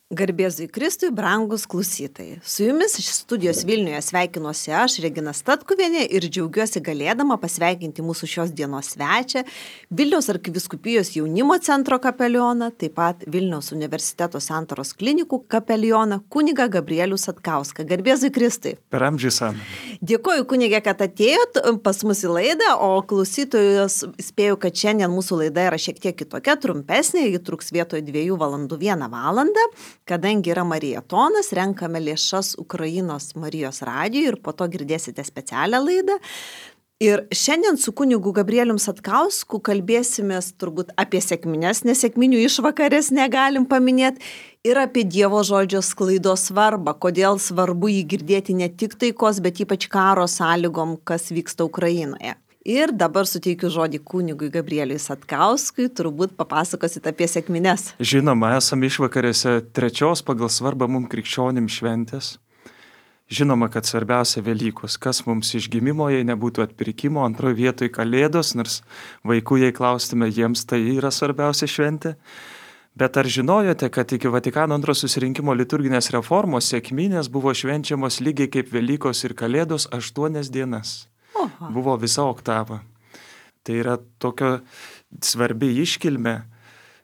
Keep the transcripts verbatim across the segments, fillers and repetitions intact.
Garbėzui Kristui, brangus klausytojai. Su jumis iš studijos Vilniuje sveikinuosi aš, Regina Statkuvienė, ir džiaugiuosi galėdama pasveikinti mūsų šios dienos svečią, Vilniaus arkivyskupijos jaunimo centro kapelioną, taip pat Vilniaus universiteto Santaros klinikų kapelioną, kunigą Gabrielių Satkauską. Garbėzui Kristui. Per amžius amen. Dėkoju, kunigė, kad atėjot pas mus į laidą, o klausytojus spėju, kad šiandien mūsų laida yra šiek tiek kitokia, trumpesnė, ji truks vietoj dviejų valandų vieną valandą. Kadangi yra marietonas, renkame lėšas Ukrainos Marijos radijui ir po to girdėsite specialią laidą. Ir šiandien su kunigu Gabrielium Satkausku kalbėsimės turbūt apie sekmines, nes sekminių išvakarės negalim paminėti, ir apie Dievo žodžio sklaidos svarbą, kodėl svarbu jį girdėti ne tik taikos, bet ypač karo sąlygom, kas vyksta Ukrainoje. Ir dabar suteikiu žodį kunigui Gabrieliui Satkauskui, turbūt papasakosit apie sekmines. Žinoma, esame išvakarėse trečios pagal svarbą mums krikščionim šventės. Žinoma, kad svarbiausia Velykos, kas mums išgimimo, jei nebūtų atpirkimo, antroje vietoje Kalėdos, nors vaikų, jei klaustume, jiems tai yra svarbiausia šventė. Bet ar žinojote, kad iki Vatikano antro susirinkimo liturginės reformos sekminės buvo švenčiamos lygiai kaip Velykos ir Kalėdos aštuonias dienas? Oha. Buvo visa oktava. Tai yra tokio svarbi iškilmė.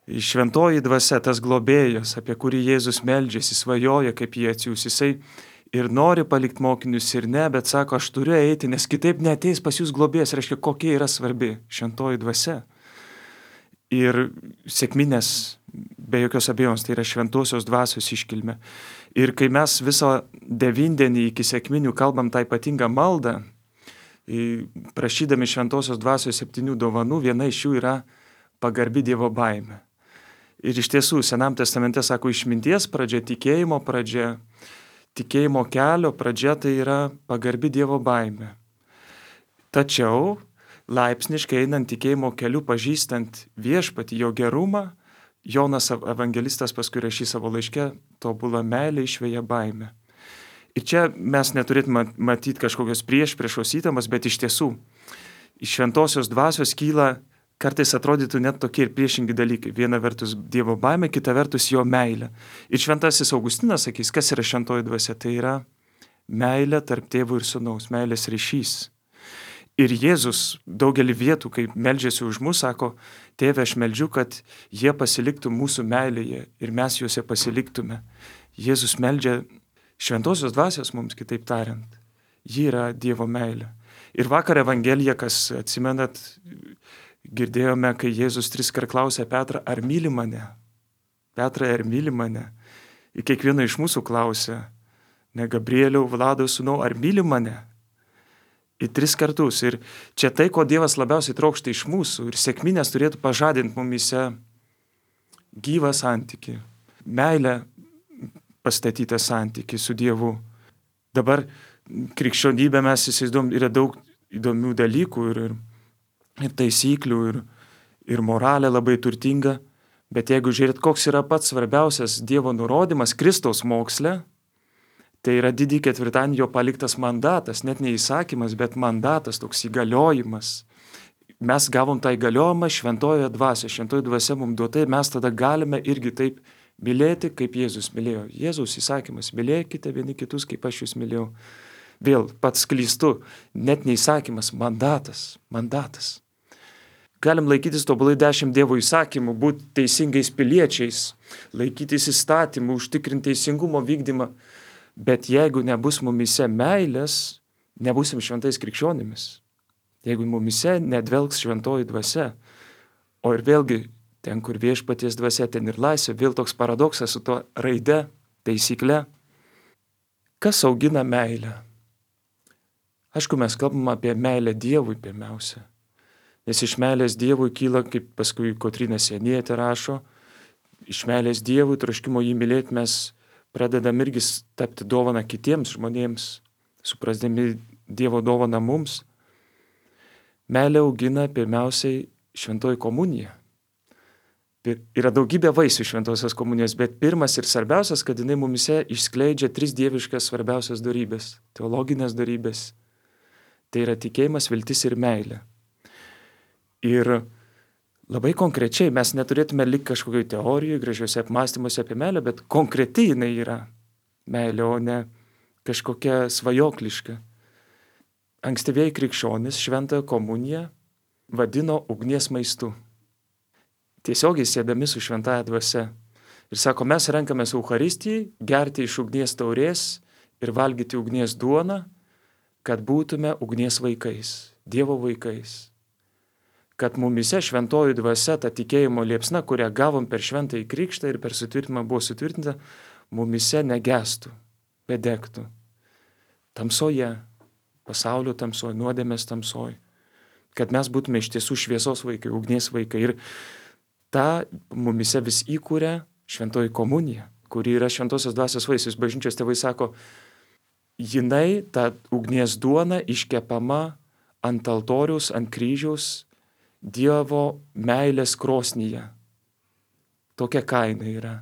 Šventoji dvasia, tas globėjas, apie kurį Jėzus meldžiasi, svajoja, kaip jį atsiųs. Jisai ir nori palikti mokinius ir ne, bet sako, aš turiu eiti, nes kitaip neateis pas jūs globėjas. Reiškia, kokia yra svarbi šventoji dvasia. Ir sekminės, be jokios abejonės, tai yra šventosios dvasios iškilmė. Ir kai mes viso devindienį iki sekminių kalbam tą ypatingą maldą, prašydami šventosios dvasios septynių dovanų, viena iš jų yra pagarbi Dievo baimė. Ir iš tiesų, Senam testamente sako, išminties pradžia, tikėjimo pradžia, tikėjimo kelio pradžia tai yra pagarbi Dievo baimė. Tačiau, laipsniškai einant tikėjimo keliu, pažįstant viešpatį, jo gerumą, Jonas evangelistas paskui rašys savo laiške, tobula meilė išveja baimę. Ir čia mes neturėtume matyti kažkokios priešpriešos įtampos, bet iš tiesų iš šventosios dvasios kyla, kartais atrodytų net tokie ir priešingi dalykai. Viena vertus Dievo baimė, kita vertus jo meilė. Ir šventasis Augustinas sakys, kas yra šventoji dvasia? Tai yra meilė tarp tėvo ir sūnaus, meilės ryšys. Ir Jėzus daugelį vietų, kai meldžiasi už mus, sako, tėve, aš meldžiu, kad jie pasiliktų mūsų meilėje ir mes juose pasiliktume. Jėzus meldžia šventosios dvasios mums, kitaip tariant. Ji yra Dievo meilė. Ir vakar Evangelija, kas atsimenat, girdėjome, kai Jėzus triskart klausė Petrą, ar myli mane? Petrai, ar myli mane? Ir kiekvieną iš mūsų klausė, ne Gabrieliau, Vlado sūnau, ar myli mane? Į tris kartus. Ir čia tai, ko Dievas labiausiai trokšta iš mūsų. Ir sekminės turėtų pažadinti mumise gyvą santykį, meilę, pastatytą santykį su Dievu. Dabar krikščionybė mes įsivaizduom, yra daug įdomių dalykų ir, ir, ir taisyklių ir, ir moralė labai turtinga, bet jeigu žiūrėt, koks yra pats svarbiausias Dievo nurodymas Kristaus moksle, tai yra didį ketvirtadienį jo paliktas mandatas, net ne įsakymas, bet mandatas, toks įgaliojimas. Mes gavom tą įgaliojimą šventojoje dvasioje, šventoji dvasia mums duota ir mes tada galime irgi taip mylėti, kaip Jėzus mylėjo. Jėzaus įsakymas, mylėkite vieni kitus, kaip aš jūs mylėjau. Vėl pats klystu, net neįsakymas, mandatas, mandatas. Galim laikytis tobulai dešimt Dievo įsakymų, būti teisingais piliečiais, laikytis įstatymų, užtikrinti teisingumo vykdymą, bet jeigu nebus mumise meilės, nebusim šventais krikščionimis. Jeigu mumise nedvelks šventoji dvasia, o ir vėlgi ten, kur viešpaties dvasia, ten ir laisvė, vėl toks paradoksas su to raide, taisykle. Kas augina meilę? Aišku, mes kalbam apie meilę Dievui pirmiausia. Nes iš meilės Dievui kyla, kaip paskui Kotryna Sienietė rašo, iš meilės Dievui, troškimo jį mylėti, mes pradedam irgi tapti dovaną kitiems žmonėms, suprasdami Dievo dovaną mums. Meilė augina pirmiausiai šventoji komunija. Yra daugybė vaisių šventosios komunijos, bet pirmas ir svarbiausias, kad jinai mumise išskleidžia tris dieviškas svarbiausias dorybės, teologinės dorybės. Tai yra tikėjimas, viltis ir meilė. Ir labai konkrečiai, mes neturėtume likti kažkokioj teorijoje, gražiuose apmąstymuose apie meilę, bet konkretiai jinai yra meilė, o ne kažkokia svajokliška. Ankstyvieji krikščionys šventąją komuniją vadino ugnies maistu. Tiesiogiai siedami su šventąja dvasia. Ir sako, mes renkamės Eucharistijai, gerti iš ugnies taurės ir valgyti ugnies duoną, kad būtume ugnies vaikais, Dievo vaikais. Kad mumise šventoji dvasia, ta tikėjimo liepsna, kurią gavom per šventąjį krikštą ir per sutvirtinimą buvo sutvirtinta, mumise negestų, bet degtų. Tamsoje, pasaulio tamsoje, nuodėmės tamsoje. Kad mes būtume iš tiesų šviesos vaikai, ugnies vaikai. Ir tą mumise vis įkūrė šventoji komunija, kuri yra šventosios dvasios vaisius. Bažnyčios tėvai sako, jinai, ta ugnies duona, iškepama ant altoriaus, ant kryžiaus, Dievo meilės krosnyje. Tokia kaina yra.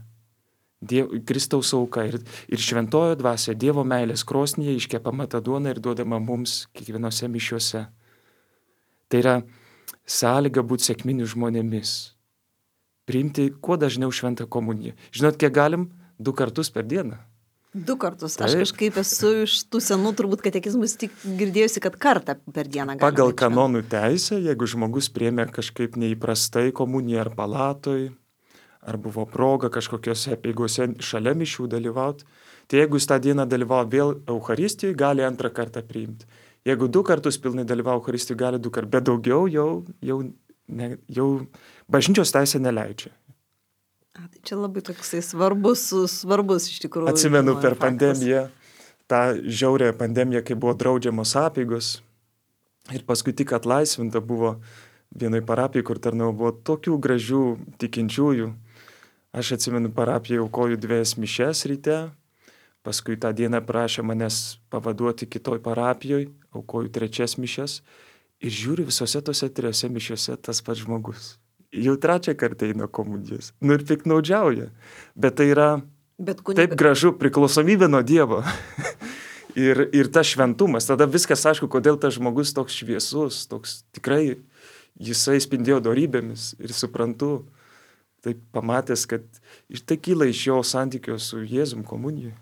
Dievo, Kristaus auka ir, ir šventojo dvasia Dievo meilės krosnyje iškepama ta duona ir duodama mums kiekvienose mišiuose. Tai yra sąlyga būti sėkminių žmonėmis. Priimti kuo dažniau šventą komuniją. Žinot, kiek galim? Du kartus per dieną. Du kartus. Aš kažkaip esu iš tų senų turbūt katekizmus tik girdėjusi, kad kartą per dieną galima. Pagal kanonų teisę, jeigu žmogus priėmė kažkaip neįprastai komuniją ar palatoj, ar buvo proga kažkokiose apeigose šalia mišių dalyvauti, tai jeigu jis tą dieną dalyvavo vėl Eucharistijoje, gali antrą kartą priimti. Jeigu du kartus pilnai dalyvavo Eucharistijoje, gali du kartus, bet daugiau jau, jau, ne, jau bažnyčios teisė neleidžia. A, tai čia labai toksai svarbus, svarbus iš tikrųjų. Atsimenu per pandemiją, tą žiaurę pandemiją, kai buvo draudžiamos apeigos ir paskui tik atlaisvinta buvo vienoj parapijai, kur tarnau buvo tokių gražių tikinčiųjų. Aš atsimenu parapiją aukoju dviejas mišes ryte, paskui tą dieną prašė manęs pavaduoti kitoj parapijoj, aukoju trečias mišes ir žiūriu visose tose trijose mišiuose tas pats žmogus. Jau trečią kartą eina komunijos. Nu ir piknaudžiauja. Bet tai yra Bet kunig... taip gražu priklausomybė nuo Dievo. ir, ir tas šventumas. Tada viskas aišku, kodėl tas žmogus toks šviesus, toks tikrai jisai spindėjo dorybėmis. Ir suprantu, taip pamatęs, kad ir tai kyla iš jo santykio su Jėzum komunijoje.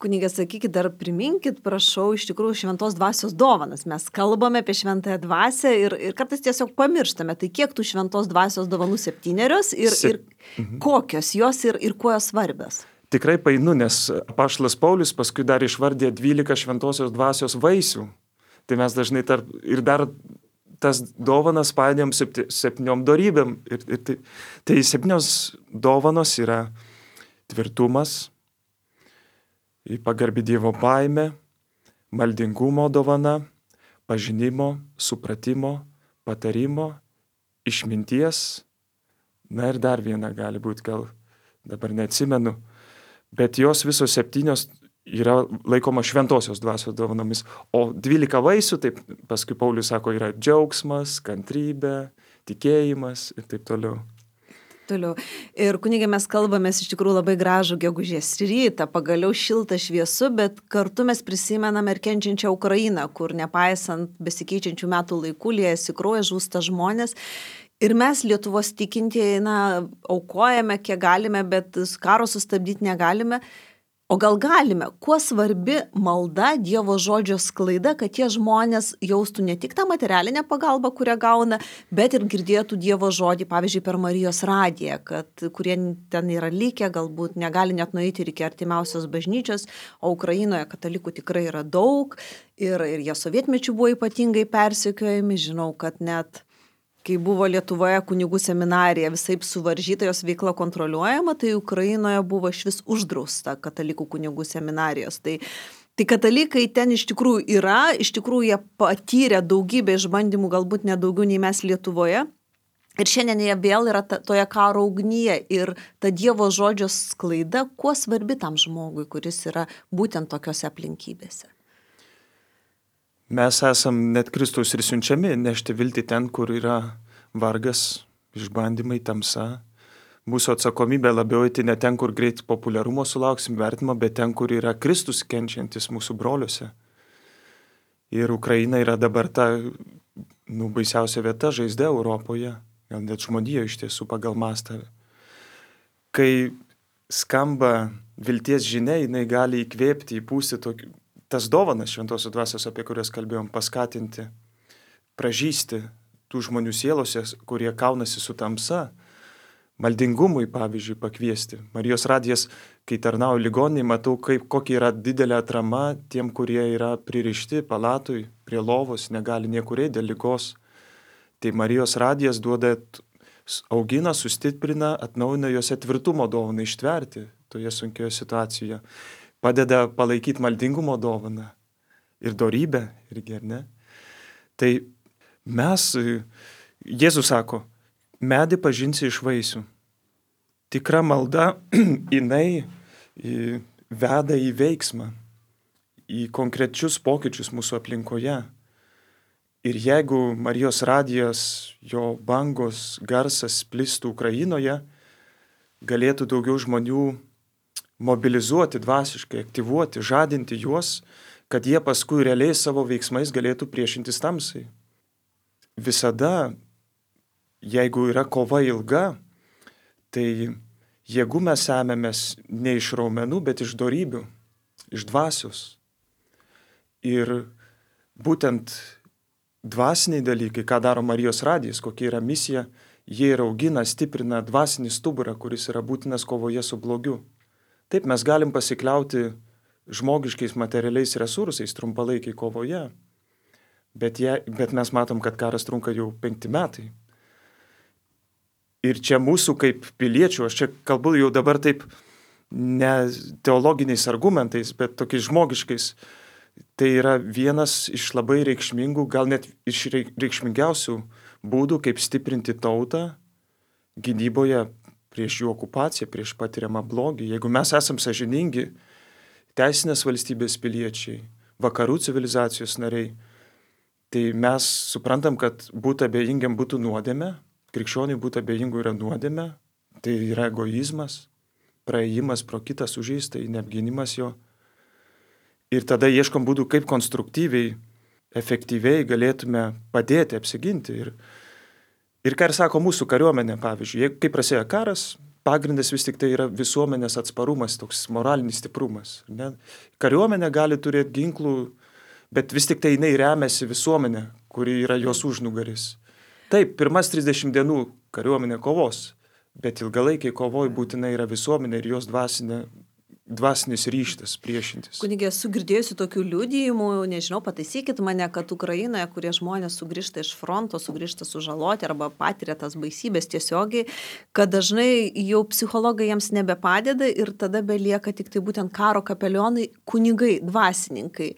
Kunigas, sakykit, dar priminkit, prašau, iš tikrųjų šventos dvasios dovanas. Mes kalbame apie šventąją dvasią ir, ir kartais tiesiog pamirštame. Tai kiek tų šventos dvasios dovanų septynerios ir, Se... ir mhm. kokios jos ir, ir kuo jos svarbios? Tikrai painu, nes apaštalas Paulius paskui dar išvardė dvylika šventosios dvasios vaisių. Tai mes dažnai tarp, ir dar tas dovanas paėdėm septy, septyniom dorybėm. Ir, ir tai, tai septynios dovanos yra tvirtumas, pagarbi Dievo baimė, maldingumo dovana, pažinimo, supratimo, patarimo, išminties. Na ir dar viena gali būti, gal dabar neatsimenu, bet jos visos septynios yra laikoma šventosios dvasios dovanomis. O dvylika vaisių, taip paskui Paulius sako, yra džiaugsmas, kantrybė, tikėjimas ir taip toliau. Toliau. Ir kunigė, mes kalbamės iš tikrųjų labai gražų gegužės rytą, pagaliau šiltą šviesu, bet kartu mes prisimename ir kenčiančią Ukrainą, kur nepaisant besikeičiančių metų laikų liejasi kraujas, žūsta žmonės. Ir mes Lietuvos tikintieji, na, aukojame, kiek galime, bet karo sustabdyti negalime. O gal galime? Kuo svarbi malda, Dievo žodžio sklaida, kad tie žmonės jaustų ne tik tą materialinę pagalbą, kurią gauna, bet ir girdėtų Dievo žodį, pavyzdžiui, per Marijos radiją, kad kurie ten yra likę, galbūt negali net nueiti ir iki artimiausios bažnyčios, o Ukrainoje katalikų tikrai yra daug ir, ir jie sovietmečių buvo ypatingai persekiojami. Žinau, kad net kai buvo Lietuvoje kunigų seminarija visaip suvaržyta, jos veikla kontroliuojama, tai Ukrainoje buvo išvis uždrausta katalikų kunigų seminarijos. Tai, tai katalikai ten iš tikrųjų yra, iš tikrųjų jie patyrė daugybę išbandymų, galbūt nedaugiau nei mes Lietuvoje. Ir šiandien jie vėl yra ta, toje karo ugnyje ir ta Dievo žodžio sklaida, kuo svarbi tam žmogui, kuris yra būtent tokiose aplinkybėse. Mes esam net Kristaus ir siunčiami nešti viltį ten, kur yra vargas, išbandymai, tamsa. Mūsų atsakomybė labiau eiti ne ten, kur greit populiarumo sulauksim vertimą, bet ten, kur yra Kristus kenčiantis mūsų broliuose. Ir Ukraina yra dabar ta nu, baisiausia vieta žaizda Europoje, gal net žmonijoje iš tiesų pagal mastą. Kai skamba vilties žinia, jinai gali įkvėpti, įpūsti tokį, tas dovanas šventosios dvasios, apie kurias kalbėjom, paskatinti, pražysti tų žmonių sielose, kurie kaunasi su tamsa, maldingumui, pavyzdžiui, pakviesti. Marijos radijas, kai tarnauju ligoninėje, matau, kaip, kokia yra didelė atrama tiem, kurie yra pririšti palatui, prie lovos, negali niekur eiti dėl ligos. Tai Marijos radijas duoda, augina, sustiprina, atnaujina juose tvirtumo dovaną ištverti toje sunkioje situacijoje. Padeda palaikyti maldingumo dovaną ir dorybę irgi, ar ne? Tai mes, Jėzus sako, medį pažinsi iš vaisių. Tikra malda, jinai veda į veiksmą, į konkrečius pokyčius mūsų aplinkoje. Ir jeigu Marijos radijas, jo bangos, garsas plistų Ukrainoje, galėtų daugiau žmonių mobilizuoti dvasiškai, aktyvuoti, žadinti juos, kad jie paskui realiai savo veiksmais galėtų priešintis tamsai. Visada, jeigu yra kova ilga, tai jėgų mes semėmės ne iš raumenų, bet iš dorybių, iš dvasios. Ir būtent dvasiniai dalykai, ką daro Marijos radijas, kokia yra misija, jie ir augina, stiprina dvasinį stuburą, kuris yra būtinas kovoje su blogiu. Taip mes galim pasikliauti žmogiškais materialiais resursais trumpalaikiai kovoje, bet, jie, bet mes matom, kad karas trunka jau penkti metai. Ir čia mūsų kaip piliečių, aš čia kalbu jau dabar taip ne teologiniais argumentais, bet tokiais žmogiškais, tai yra vienas iš labai reikšmingų, gal net iš reikšmingiausių būdų, kaip stiprinti tautą gynyboje prieš jų okupaciją, prieš patiriamą blogį. Jeigu mes esam sąžiningi, teisinės valstybės piliečiai, vakarų civilizacijos nariai, tai mes suprantam, kad būti abejingiam būtų nuodėmė, krikščioniui būti abejingų yra nuodėmė, tai yra egoizmas, praėjimas pro kitą sužeistą, neapgynimas jo. Ir tada ieškom būdų, kaip konstruktyviai, efektyviai galėtume padėti, apsiginti. Ir, ir ką ir sako mūsų kariuomenė, pavyzdžiui, kai prasidėjo karas, pagrindas vis tik tai yra visuomenės atsparumas, toks moralinis stiprumas. Ne? Kariuomenė gali turėti ginklų, bet vis tik tai jinai remiasi visuomenė, kuri yra jos užnugaris. Taip, pirmas trisdešimt dienų kariuomenė kovos, bet ilgalaikiai kovoj būtinai yra visuomenė ir jos dvasinė dvasinis ryštas priešintis. Kunigė, esu girdėjusi tokių liudijimų, nežinau, pataisykit mane, kad Ukrainoje, kurie žmonės sugrįžta iš fronto, sugrįžta sužaloti arba patiria tas baisybės tiesiogiai, kad dažnai jau psichologai jiems nebepadeda ir tada belieka tik tai būtent karo kapelionai, kunigai, dvasininkai.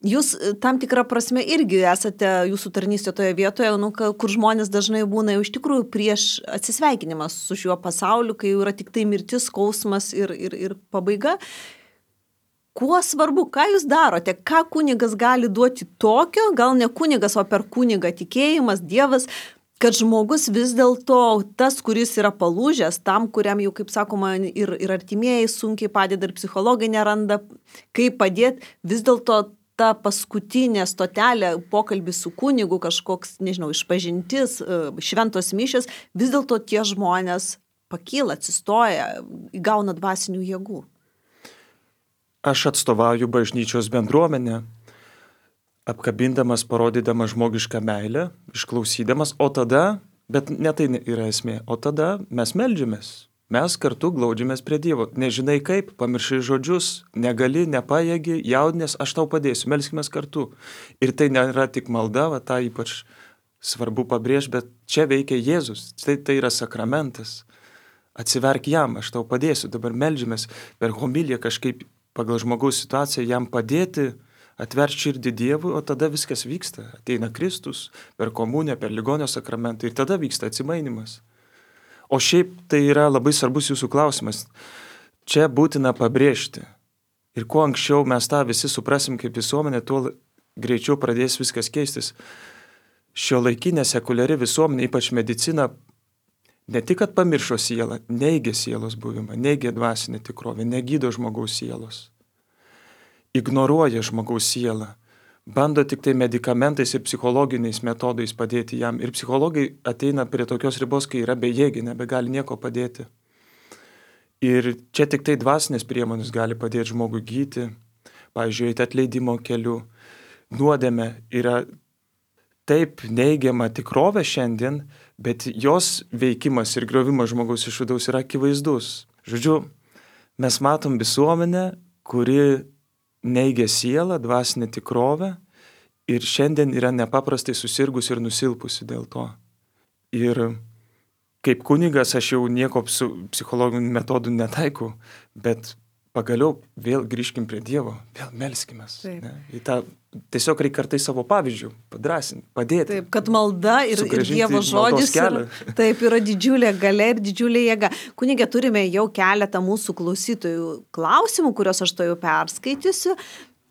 Jūs tam tikrą prasme irgi esate jūsų tarnystė toje vietoje, nu, kur žmonės dažnai būna jau iš tikrųjų prieš atsisveikinimą su šiuo pasauliu, kai jau yra tik tai mirtis, skausmas ir, ir, ir pabaiga. Kuo svarbu, ką jūs darote, ką kunigas gali duoti tokio, gal ne kunigas, o per kunigą tikėjimas, Dievas, kad žmogus vis dėlto tas, kuris yra palūžęs, tam, kuriam jau, kaip sakoma, ir, ir artimieji sunkiai padeda, ir psichologai neranda, kaip padėti, vis dėlto ta paskutinė stotelė, pokalbis su kunigu, kažkoks, nežinau, išpažintis, šventos mišios, vis dėlto tie žmonės pakyla, atsistoja, įgauna dvasinių jėgų. Aš atstovauju bažnyčios bendruomenę, apkabindamas, parodydamas žmogišką meilę, išklausydamas, o tada, bet ne tai yra esmė, o tada mes meldžiamės. Mes kartu glaudžiamės prie Dievo. Nežinai kaip, pamiršai žodžius, negali, nepajėgi, jaudinės, aš tau padėsiu, melskimės kartu. Ir tai nėra tik malda, va, tą ypač svarbu pabrėžti, bet čia veikia Jėzus, tai, tai yra sakramentas. Atsiverk jam, aš tau padėsiu, dabar meldžiamės per homiliją kažkaip pagal žmogaus situaciją jam padėti, atverti širdį Dievui, o tada viskas vyksta. Ateina Kristus per komuniją, per ligonio sakramentą ir tada vyksta atsimainimas. O šiaip tai yra labai svarbus jūsų klausimas. Čia būtina pabrėžti. Ir kuo anksčiau mes tą visi suprasim kaip visuomenė, tuo greičiau pradės viskas keistis. Šiuolaikinė sekuliari visuomenė, ypač medicina, ne tik kad pamiršo sielą, neigia sielos buvimą, neigia dvasinę tikrovę, negydo žmogaus sielos. Ignoruoja žmogaus sielą, bando tik tai medikamentais ir psichologiniais metodais padėti jam. Ir psichologai ateina prie tokios ribos, kai yra bejėgi, nebegali nieko padėti. Ir čia tik tai dvasinės priemonės gali padėti žmogui gyti, pavyzdžiui, eiti atleidimo keliu. Nuodėmė yra taip neigiama tikrovė šiandien, bet jos veikimas ir griovimas žmogaus iš vidaus yra akivaizdus. Žodžiu, mes matom visuomenę, kuri neigia sielą, dvasinę tikrovę ir šiandien yra nepaprastai susirgusi ir nusilpusi dėl to. Ir kaip kunigas aš jau nieko su psichologiniu metodu netaikau, bet pagaliau vėl grįžkim prie Dievo, vėl melskimės. Ne? Į tą, tiesiog reikia kartais savo pavyzdžių padrasinti, padėti. Taip, kad malda ir, ir Dievo žodis yra, taip, yra didžiulė galia ir didžiulė jėga. Kunige, turime jau keletą mūsų klausytojų klausimų, kuriuos aš to jau perskaitysiu.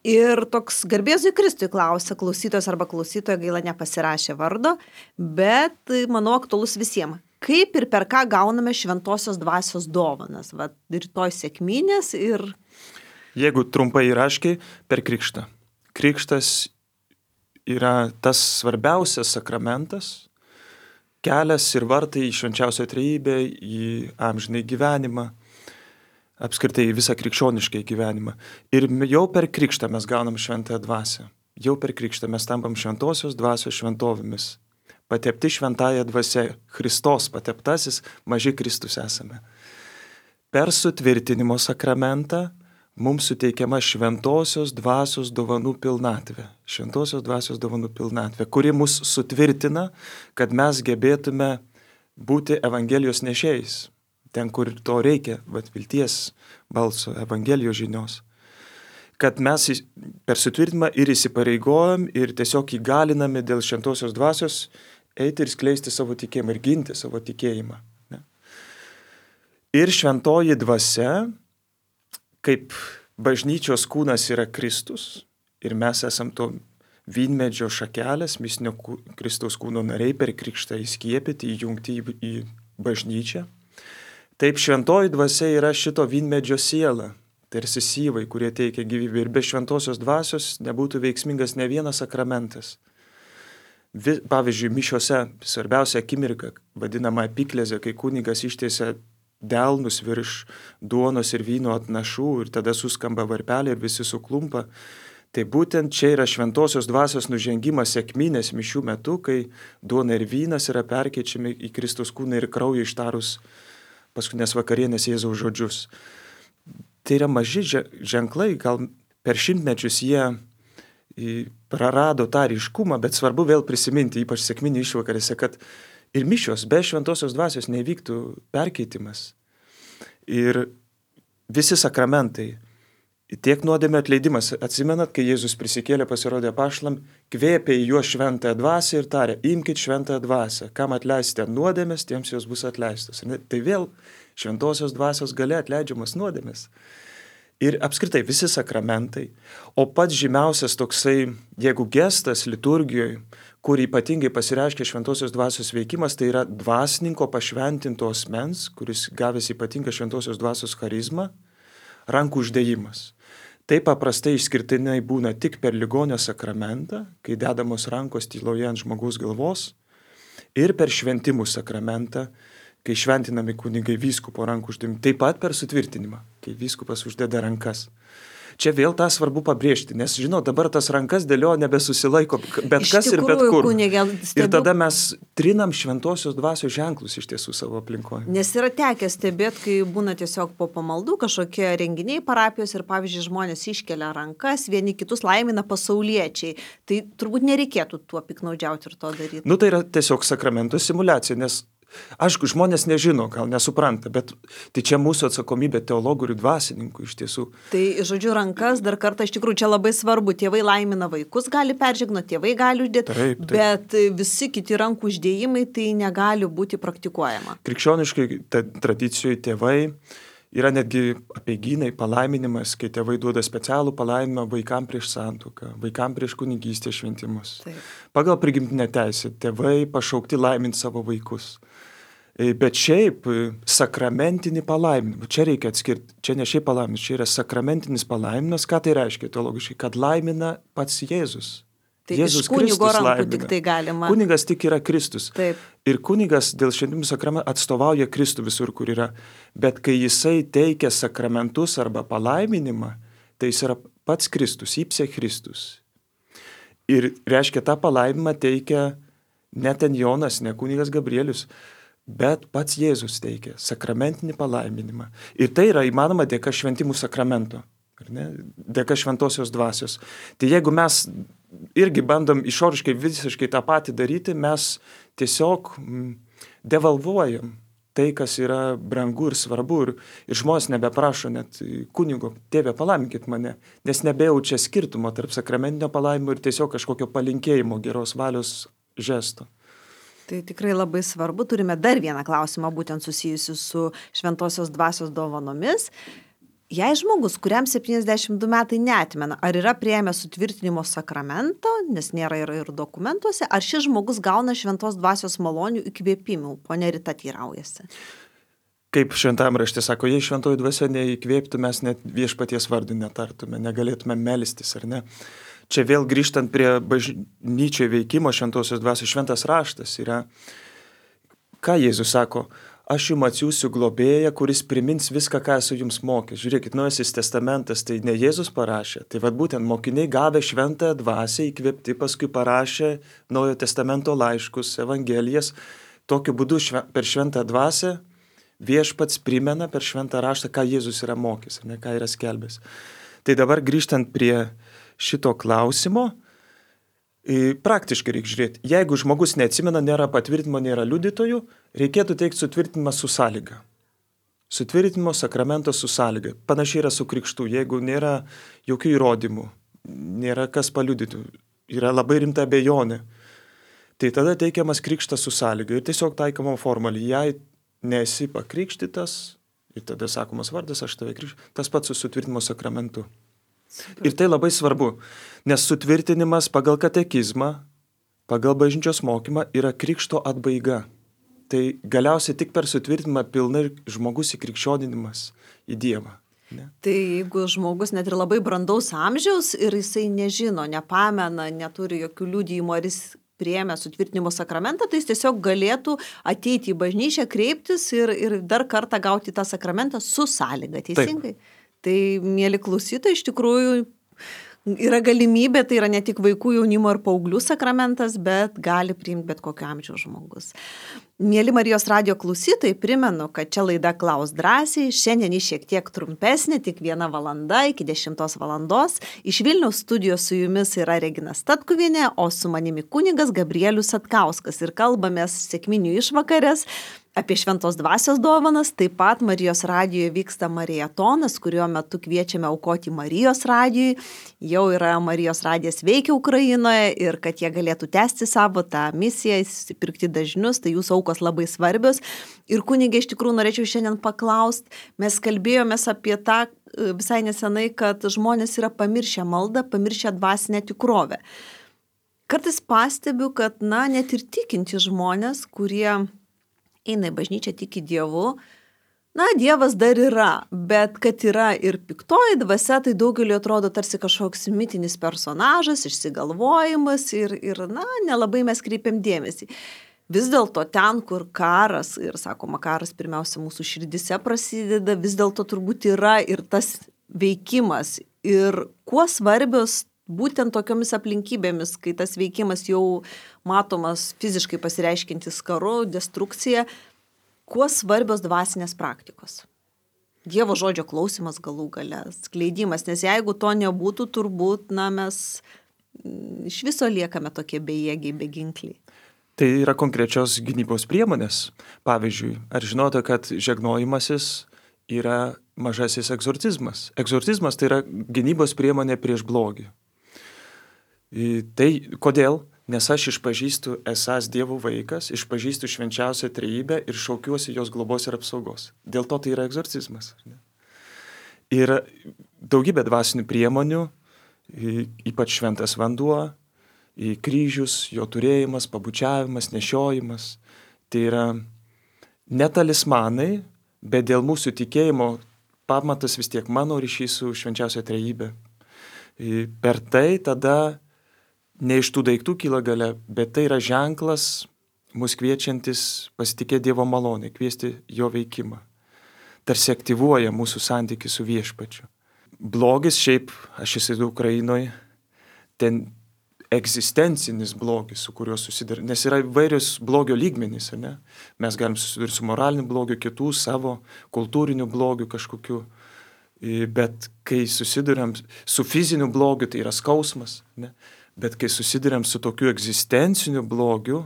Ir toks garbėzui Kristui klausia klausytojas arba klausytoja, gaila nepasirašė vardo, bet manau aktualus visiems. Kaip ir per ką gauname šventosios dvasios dovanas? Vat rytoj sekminės ir... Jeigu trumpai ir aiškiai, per krikštą. Krikštas yra tas svarbiausias sakramentas, kelias ir vartai į švenčiausią trejybę, į amžinai gyvenimą, apskritai į visą krikščioniškai gyvenimą. Ir jau per krikštą mes gaunam šventąją dvasią. Jau per krikštą mes tampam šventosios dvasios šventovėmis. Patepti šventąją dvasią, Kristos pateptasis, maži Kristus esame. Per sutvirtinimo sakramentą mums suteikiama šventosios dvasios dovanų pilnatvė. Šventosios dvasios dovanų pilnatvė, kuri mus sutvirtina, kad mes gebėtume būti Evangelijos nešėjais. Ten, kur to reikia, vat vilties balso, Evangelijos žinios. Kad mes per sutvirtinimą ir įsipareigojam ir tiesiog įgaliname dėl šventosios dvasios eiti ir skleisti savo tikėjimą ir ginti savo tikėjimą. Ne? Ir šventoji dvasia, kaip bažnyčios kūnas yra Kristus, ir mes esam to vynmedžio šakelės, mistinio Kristaus kūno nariai per krikštą įskiepyti, įjungti į, į bažnyčią. Taip šventoji dvasia yra šito vynmedžio siela, tarsi syvai, kurie teikia gyvybę. Ir be šventosios dvasios nebūtų veiksmingas ne vienas sakramentas. Pavyzdžiui, mišiose svarbiausia akimirka, vadinama epiklezė, kai kunigas ištiesia delnus virš duonos ir vyno atnašų ir tada suskamba varpelė ir visi suklumpa. Tai būtent čia yra šventosios dvasios nužengimas sekminės mišių metu, kai duona ir vynas yra perkeičiami į Kristaus kūną ir kraują ištarus paskutinės vakarienės Jėzaus žodžius. Tai yra maži ženklai, gal per šimtmečius jie prarado tą ryškumą, bet svarbu vėl prisiminti, ypač sekminių išvakarėse, kad ir mišios be šventosios dvasios nevyktų perkeitimas. Ir visi sakramentai, tiek nuodėmė atleidimas, atsimenat, kai Jėzus prisikėlė, pasirodė apaštalam, kvėpė į juos šventąją dvasią ir tarė, imkit šventąją dvasią, kam atleisite nuodėmės, tiems jos bus atleistos. Tai vėl šventosios dvasios galia atleidžiamas nuodėmės. Ir apskritai visi sakramentai, o pats žymiausias toksai, jeigu gestas liturgijoje, kur ypatingai pasireiškia šventosios dvasios veikimas, tai yra dvasininko pašventinto asmens, kuris gavęs ypatingą šventosios dvasios charizmą, rankų uždėjimas. Tai paprastai išskirtinai būna tik per ligonio sakramentą, kai dedamos rankos tyloje ant žmogaus galvos, ir per šventimų sakramentą, kai šventinami kunigai vyskupo rankų uždėjimą, taip pat per sutvirtinimą, kai vyskupas uždeda rankas. Čia vėl tą svarbu pabrėžti, nes, žinau, dabar tas rankas dėlio nebesusilaiko, bet iš kas tikrųjų, ir bet kur. Kunigė, stebu... Ir tada mes trinam šventosios dvasios ženklus iš tiesų savo aplinkoje. Nes yra tekę stebėti, kai būna tiesiog po pamaldų kažkokie renginiai parapijos ir, pavyzdžiui, žmonės iškelia rankas, vieni kitus laimina pasauliečiai. Tai turbūt nereikėtų tuo piknaudžiauti ir to daryti. Nu, tai yra tiesiog sakramento simuliacija, nes aišku, žmonės nežino, gal nesupranta, bet tai čia mūsų atsakomybė teologų ir dvasininkų iš tiesų. Tai, žodžiu, rankas dar kartą iš tikrųjų čia labai svarbu. Tėvai laimina vaikus, gali peržegno, tėvai gali uždėti, taip, taip. Bet visi kiti rankų uždėjimai tai negali būti praktikuojama. Krikščioniškai tradicijoje tėvai yra netgi apeigynai, palaiminimas, kai tėvai duoda specialų palaiminimą vaikam prieš santuoką, vaikam prieš kunigystės šventimus. Taip. Pagal prigimtinę teisę tėvai pašaukti laiminti savo vaikus. Bet šiaip sakramentinį palaiminimą, čia reikia atskirti, čia ne šiaip palaiminimas, čia yra sakramentinis palaiminimas, ką tai reiškia teologiškai, kad laimina pats Jėzus, Tai Jėzus iš kunigo Kristus rankų laimina. tik tai galima. Kunigas tik yra Kristus. Taip. Ir kunigas dėl šventimų sakramentų atstovauja Kristų visur, kur yra. Bet kai jisai teikia sakramentus arba palaiminimą, tai jis yra pats Kristus, ipse Kristus. Ir reiškia, tą palaiminimą teikia ne ten Jonas, ne kunigas Gabrielius, bet pats Jėzus teikia sakramentinį palaiminimą. Ir tai yra įmanoma dėka šventimų sakramento, ar ne? Dėka šventosios dvasios. Tai jeigu mes irgi bandom išoriškai visiškai tą patį daryti, mes tiesiog devalvuojam tai, kas yra brangu ir svarbu. Ir, ir žmonės nebeprašo net kunigo, tėve, palaiminkit mane, nes nebejaučia skirtumo tarp sakramentinio palaiminimo ir tiesiog kažkokio palinkėjimo, geros valios žesto. Tai tikrai labai svarbu. Turime dar vieną klausimą, būtent susijusiu su šventosios dvasios dovanomis. Jei žmogus, kuriam septyniasdešimt du metai neatmena, ar yra priėmęs sutvirtinimo sakramento, nes nėra ir, ir dokumentuose, ar šis žmogus gauna šventos dvasios malonių įkvėpimų? Ponia Rita teiraujasi. Kaip šventam rašte sako, jei šventoji dvasia neįkvėptų, mes net viešpaties vardų netartume, negalėtume melstis, ar ne? Čia vėl grįžtant prie bažnyčioje veikimo šventosios dvasios, šventas raštas yra, ką Jėzus sako, aš jums atsiųsiu globėją, kuris primins viską, ką esu jums mokęs. Žiūrėkit, Naujasis testamentas, tai ne Jėzus parašė, tai vad būtent mokiniai gavę šventąją dvasią įkvėpti, paskui parašė Naujojo testamento laiškus, evangelijas. Tokiu būdu šve, per šventą dvasią viešpats primena per šventą raštą, ką Jėzus yra mokęs, ne ką yra skelbęs. Tai dabar grįžtant prie šito klausimo, praktiškai reikia žiūrėti. Jeigu žmogus neatsimena, nėra patvirtinimo, nėra liudytojų, reikėtų teikti sutvirtinimą su sąlyga. Sutvirtinimo sakramento su sąlyga. Panašiai yra su krikštu. Jeigu nėra jokių įrodymų, nėra kas paliudytų, yra labai rimta abejonė, tai tada teikiamas krikštas su sąlyga ir tiesiog taikoma formaliai. Jei nesi pakrikštytas, ir tada sakomas vardas, aš tave krikščiu, tas pats su sutvirtinimo sakramentu. Ir tai labai svarbu, nes sutvirtinimas pagal katekizmą, pagal bažnyčios mokymą yra krikšto atbaiga. Tai galiausiai tik per sutvirtinimą pilnai žmogus įkrikščioninimas į Dievą. Ne? Tai jeigu žmogus net ir labai brandaus amžiaus ir jisai nežino, nepamena, neturi jokių liudijimų, ar jis priėmė sutvirtinimo sakramentą, tai jis tiesiog galėtų ateiti į bažnyčią, kreiptis ir, ir dar kartą gauti tą sakramentą su sąlyga, teisingai? Taip. Tai, mėly klausytojai, iš tikrųjų yra galimybė, tai yra ne tik vaikų, jaunimo ir paauglių sakramentas, bet gali priimti bet kokio amžiaus žmogus. Mėly Marijos radijo klausytojai, primenu, kad čia laida Klaus drąsiai, šiandien ji šiek tiek trumpesnė, tik viena valanda iki dešimtos valandos. Iš Vilniaus studijos su jumis yra Regina Statkuvienė, o su manimi kunigas Gabrielius Satkauskas ir kalbamės sekminių išvakarės apie šventos dvasios dovanas. Taip pat Marijos radijoje vyksta Mariatonas, kurio metu kviečiame aukoti Marijos radijui. Jau yra Marijos radijas veikia Ukrainoje ir kad jie galėtų tęsti savo tą misiją, pirkti dažnius, tai jūsų aukos labai svarbios. Ir kunigė, iš tikrųjų norėčiau šiandien paklausti, mes kalbėjomės apie tą visai nesenai, kad žmonės yra pamiršę maldą, pamiršę dvasinę tikrovę. Kartais pastebiu, kad na, net ir tikinti žmonės, kurie eina į bažnyčią, tiki Dievu, na, Dievas dar yra, bet kad yra ir piktoji dvasia, tai daugeliu atrodo tarsi kažkoks mitinis personažas, išsigalvojimas ir, ir na, nelabai mes kreipiam dėmesį. Vis dėlto ten, kur karas, ir sakoma, karas pirmiausia mūsų širdise prasideda, vis dėlto turbūt yra ir tas veikimas. Ir kuo svarbios būtent tokiomis aplinkybėmis, kai tas veikimas jau matomas fiziškai pasireiškintis karu, destrukcija, kuo svarbios dvasinės praktikos? Dievo žodžio klausimas galų gale, skleidimas, nes jeigu to nebūtų, turbūt, na, mes iš viso liekame tokie bejėgiai, beginkliai. Tai yra konkrečios gynybos priemonės. Pavyzdžiui, ar žinote, kad žegnojimasis yra mažasis egzorcizmas? Egzorcizmas tai yra gynybos priemonė prieš blogį. Tai kodėl? Nes aš išpažįstu esąs Dievo vaikas, išpažįstu švenčiausią trejybę ir šaukiuosi jos globos ir apsaugos. Dėl to tai yra egzorcizmas. Ir daugybė dvasinių priemonių, ypač šventas vanduo, kryžius, jo turėjimas, pabučiavimas, nešiojimas. Tai yra ne talismanai, bet dėl mūsų tikėjimo pamatas vis tiek mano ryšys su švenčiausia trejybė. Per tai tada ne iš tų daiktų kyla galia, bet tai yra ženklas mus kviečiantis pasitikėti Dievo malonę, kviesti jo veikimą. Tarsi aktyvuoja mūsų santykį su viešpačiu. Blogis šiaip, aš įsivaizduoju Ukrainoje, ten egzistencinis blogis, su kuriuo susiduria, nes yra įvairios blogio lygmenys, ne? Mes galim susidurti su moraliniu blogiu, kitų savo kultūriniu blogiu kažkokiu, bet kai susiduriam su fiziniu blogiu, tai yra skausmas, ne? Bet kai susiduriam su tokiu egzistenciniu blogiu,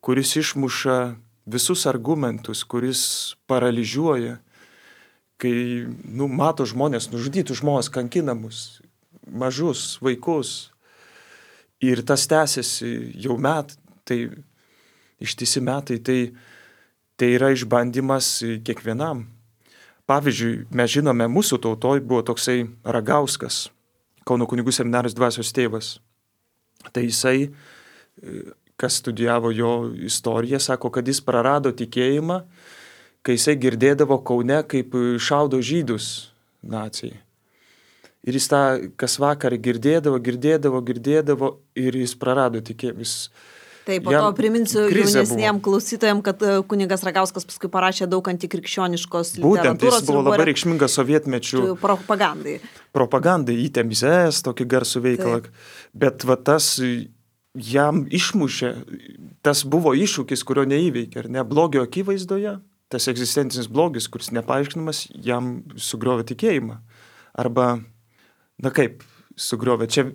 kuris išmuša visus argumentus, kuris paralyžiuoja, kai, nu, mato žmonės, nužudytų žmonės, kankinamus, mažus vaikus, ir tas tęsiasi jau met, tai ištisi metai, tai, tai yra išbandymas kiekvienam. Pavyzdžiui, mes žinome, mūsų tautoj buvo toksai Ragauskas, Kauno kunigų seminarijos dvasios tėvas. Tai jisai, kas studijavo jo istoriją, sako, kad jis prarado tikėjimą, kai jisai girdėdavo Kaune, kaip šaudo žydus nacijai. Ir jis tą kas vakarą girdėdavo, girdėdavo, girdėdavo ir jis prarado tikėjimus. Taip, po to priminsiu jaunesniem klausytojams, kad kunigas Ragauskas paskui parašė daug antikrikščioniškos literatūros. Būtent, jis buvo labai reikšmingas sovietmečių propagandai. Propagandai, įtemizės, tokį garsų veikalą. Taip. Bet va tas jam išmušė, tas buvo iššūkis, kurio neįveikė, ar ne? Blogio akivaizdoje, tas egzistencinis blogis, kuris nepaaiškinamas, jam sugriovė tikėjimą. Arba, na kaip, sugriovė, čia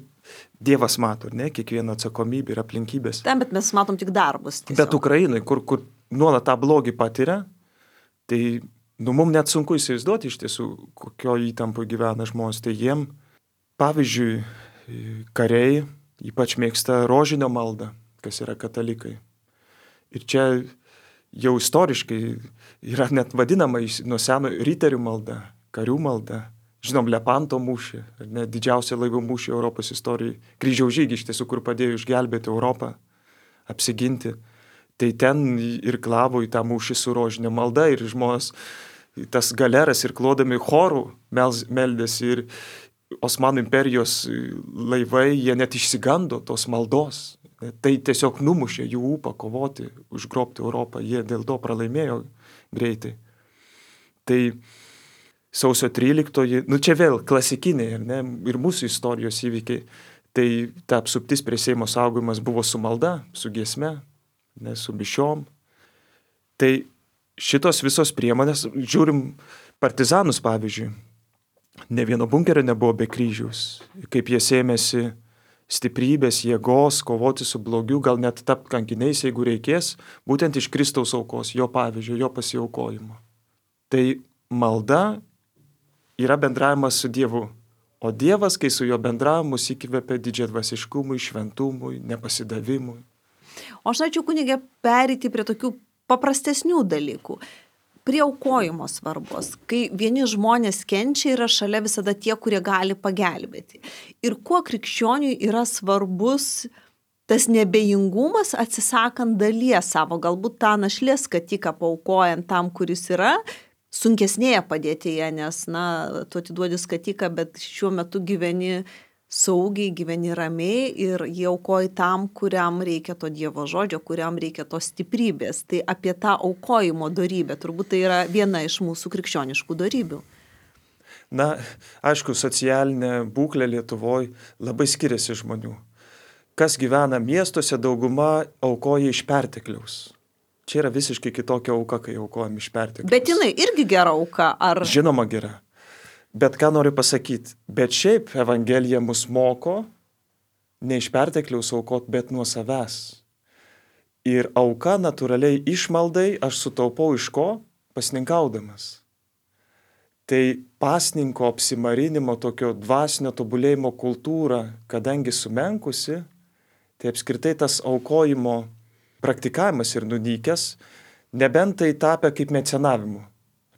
Dievas mato, ne, kiekvieno atsakomybė ir aplinkybės. Taip, bet mes matom tik darbus. Tiesiog. Bet Ukrainai, kur, kur nuolat tą blogį patiria, tai, nu, mums net sunku įsivaizduoti iš tiesų, kokio įtampo gyvena žmonės. Tai jiem, pavyzdžiui, kariai ypač mėgsta rožinio maldą, kas yra katalikai. Ir čia jau istoriškai yra net vadinama nuo seno riterių malda, karių malda. Žinom, Lepanto mūšį, ne, didžiausia laivo mūšį Europos istorijai, kryžiaus žygį iš tiesų, kur padėjo išgelbėti Europą, apsiginti. Tai ten ir klavo į tą mūšį su rožinė malda ir žmonės, tas galeras ir klodami chorų meldėsi ir Osmanų imperijos laivai, jie net išsigando tos maldos. Tai tiesiog numušė jų ūpą kovoti, užgrobti Europą, jie dėl to pralaimėjo greitai. Tai sausio tryliktoji, nu čia vėl klasikiniai, ne, ir mūsų istorijos įvykiai, tai ta apsuptis prie Seimo saugojimas buvo su malda, su giesme, ne, su mišiom. Tai šitos visos priemonės, žiūrim partizanus pavyzdžiui, ne vieno bunkerio nebuvo be kryžiaus, kaip jie sėmėsi stiprybės, jėgos, kovoti su blogiu, gal net tapti kankiniais, jeigu reikės, būtent iš Kristaus aukos, jo pavyzdžio, jo pasiaukojimo. Tai malda yra bendravimas su Dievu, o Dievas, kai su jo bendravimus įkvepia didžiadvasiškumui, šventumui, nepasidavimui. O aš norėčiau, kunige, pereiti prie tokių paprastesnių dalykų. Prie aukojimo svarbos, kai vieni žmonės kenčia, yra šalia visada tie, kurie gali pagelbėti. Ir kuo krikščioniui yra svarbus tas nebejingumas atsisakant dalies savo, galbūt tą našlės skatiką paaukojant tam, kuris yra, sunkesnėje padėtyje, nes, na, tu atiduodi skatiką, bet šiuo metu gyveni saugiai, gyveni ramiai ir jie aukoji tam, kuriam reikia to Dievo žodžio, kuriam reikia tos stiprybės. Tai apie tą aukojimo dorybę, turbūt tai yra viena iš mūsų krikščioniškų dorybių. Na, aišku, socialinė būklė Lietuvoje labai skiriasi žmonių. Kas gyvena miestuose, dauguma aukoja iš pertekliaus. Čia yra visiškai kitokia auka, kai aukojam iš pertekliaus. Bet jinai irgi gera auka, ar? Žinoma gera. Bet ką noriu pasakyti, bet šiaip Evangelija mus moko ne iš pertekliaus aukot, bet nuo savęs. Ir auka natūraliai išmaldai aš sutaupau iš ko? Pasninkaudamas. Tai pasninko apsimarinimo, tokio dvasinio tobulėjimo kultūra, kadangi sumenkusi, tai apskritai tas aukojimo praktikavimas ir nunykęs, nebent tai tapę kaip mecenavimu.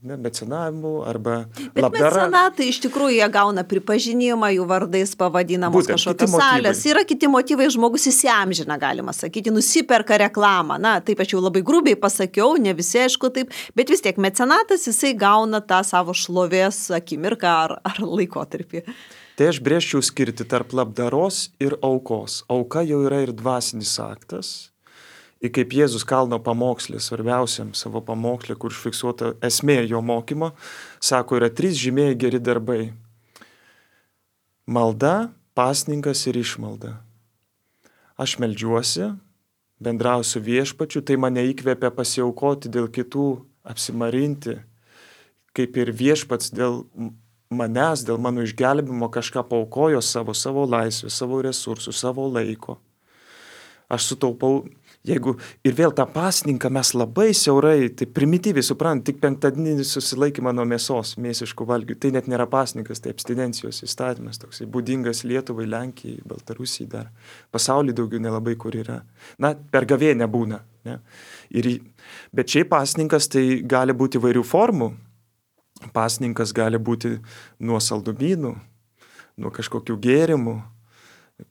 ne, mecenavimu arba Bet labdara. mecenatai iš tikrųjų jie gauna pripažinimą, jų vardais pavadinamos Būtent, kažkokios kiti motyvai. salės. Yra kiti motyvai, žmogus įsiamžina, galima sakyti, nusiperka reklamą. Na, taip aš jau labai grubiai pasakiau, ne visi aišku taip, bet vis tiek mecenatas jisai gauna tą savo šlovės akimirką ar, ar laikotarpį. Tai aš brėžčiau skirti tarp labdaros ir aukos. Auka jau yra ir dvasinis aktas. Ir kaip Jėzus kalno pamokslė, svarbiausiam savo pamokslė, kur užfiksuota esmė jo mokymo, sako, yra trys žymieji geri darbai. Malda, pasninkas ir išmalda. Aš meldžiuosi, bendrausiu viešpačiu, tai mane įkvėpia pasiaukoti dėl kitų, apsimarinti, kaip ir viešpats dėl manęs, dėl mano išgelbimo kažką paukojo savo, savo laisvę, savo resursų, savo laiko. Aš sutaupau, jeigu ir vėl tą pasninką mes labai siaurai, tai primityviai suprant, tik penktadieninį susilaikymą nuo mėsos, mėsiškų valgių, tai net nėra pasninkas, tai abstinencijos įstatymas, toksai būdingas Lietuvai, Lenkijai, Baltarusijai dar, pasaulyje daugiau nelabai kur yra. Na, per gavėnę būna. Ne? Ir, bet šiaip pasninkas tai gali būti įvairių formų. Pasninkas gali būti nuo saldumynų, nuo kažkokių gėrimų.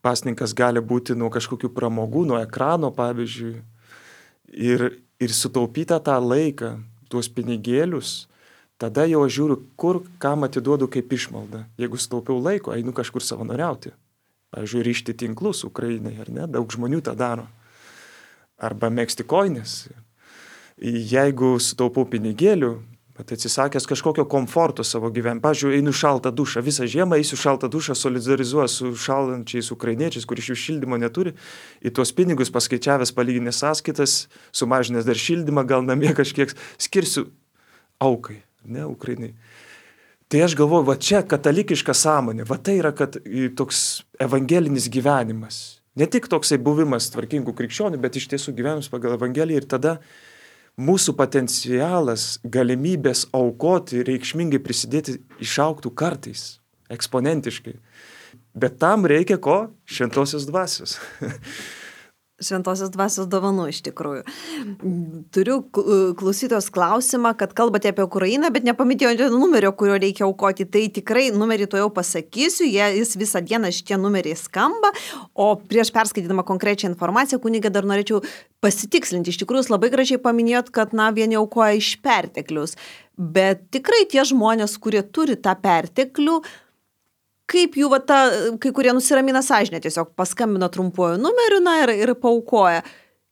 Pasninkas gali būti nuo kažkokių pramogų, nuo ekrano, pavyzdžiui. Ir, ir sutaupytą tą laiką, tuos pinigėlius, tada jau aš žiūriu, kur, kam atiduodu kaip išmaldą. Jeigu sutaupiau laiko, einu kažkur savanoriauti. Pavyzdžiui, ryžti tinklus Ukrainai, ar ne? Daug žmonių tą daro. Arba megzti kojines. Jeigu sutaupau pinigėlių, bet atsisakęs kažkokio komforto savo gyvenime. Pavyzdžiui, einu šaltą dušą. Visą žiemą eisiu šaltą dušą, solidarizuoju su šalančiais ukrainiečiais, kur iš jų šildymo neturi. Į tuos pinigus paskaičiavęs palyginęs sąskaitas, sumažinęs dar šildymą, gal namie kažkiek skirsiu aukai, ne, Ukrainai. Tai aš galvoju, va čia katalikiška sąmonė, va tai yra kad, toks evangelinis gyvenimas. Ne tik toksai buvimas tvarkingų krikščionių, bet iš tiesų gyvenimas pagal evangeliją ir tada mūsų potencialas, galimybės aukoti, reikšmingai prisidėti išaugtų kartais, eksponentiškai. Bet tam reikia ko? Šventosios dvasios. Šventosios dvasios dovanų iš tikrųjų. Turiu klausytojos klausimą, kad kalbate apie Ukrainą, bet nepaminėjote numerio, kurio reikia aukoti. Tai tikrai numerį to jau pasakysiu, jie, jis visą dieną šitie numeriai skamba, o prieš perskaitydama konkrečią informaciją, kunigė, dar norėčiau pasitikslinti. Iš tikrųjų, jūs labai gražiai paminėjot, kad na, vieni aukoja iš perteklius, bet tikrai tie žmonės, kurie turi tą perteklių, kaip jų va ta, kai kurie nusiramina sąžinę, tiesiog paskambina trumpuoju numeriu, na ir, ir paaukoja.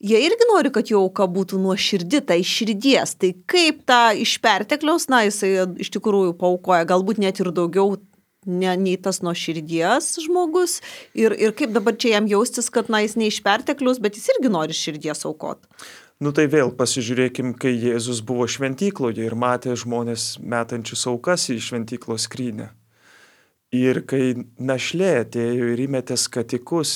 Jie irgi nori, kad jų auka būtų nuoširdi, tai iš širdies. Tai kaip tą iš pertekliaus, na jisai iš tikrųjų paaukoja, galbūt net ir daugiau ne, nei tas nuo širdies žmogus. Ir, ir kaip dabar čia jam jaustis, kad na jis ne iš pertekliaus, bet jis irgi nori širdies aukot. Nu tai vėl pasižiūrėkim, kai Jėzus buvo šventykloje ir matė žmonės metančius aukas į šventyklos skrynę. Ir kai našlė atėjo ir įmetė skatikus,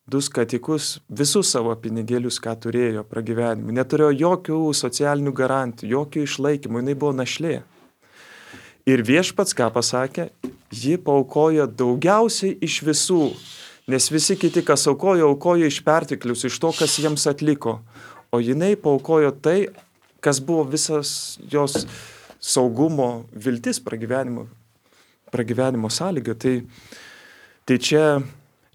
du skatikus, visus savo pinigėlius, ką turėjo pragyvenimui, neturėjo jokių socialinių garantijų, jokių išlaikymų, jinai buvo našlė. Ir viešpats, ką pasakė, ji paaukojo daugiausiai iš visų, nes visi kiti, kas aukojo, aukojo iš perteklius, iš to, kas jiems atliko. O jinai paaukojo tai, kas buvo visas jos saugumo viltis pragyvenimo. pragyvenimo sąlyga. Tai, tai čia,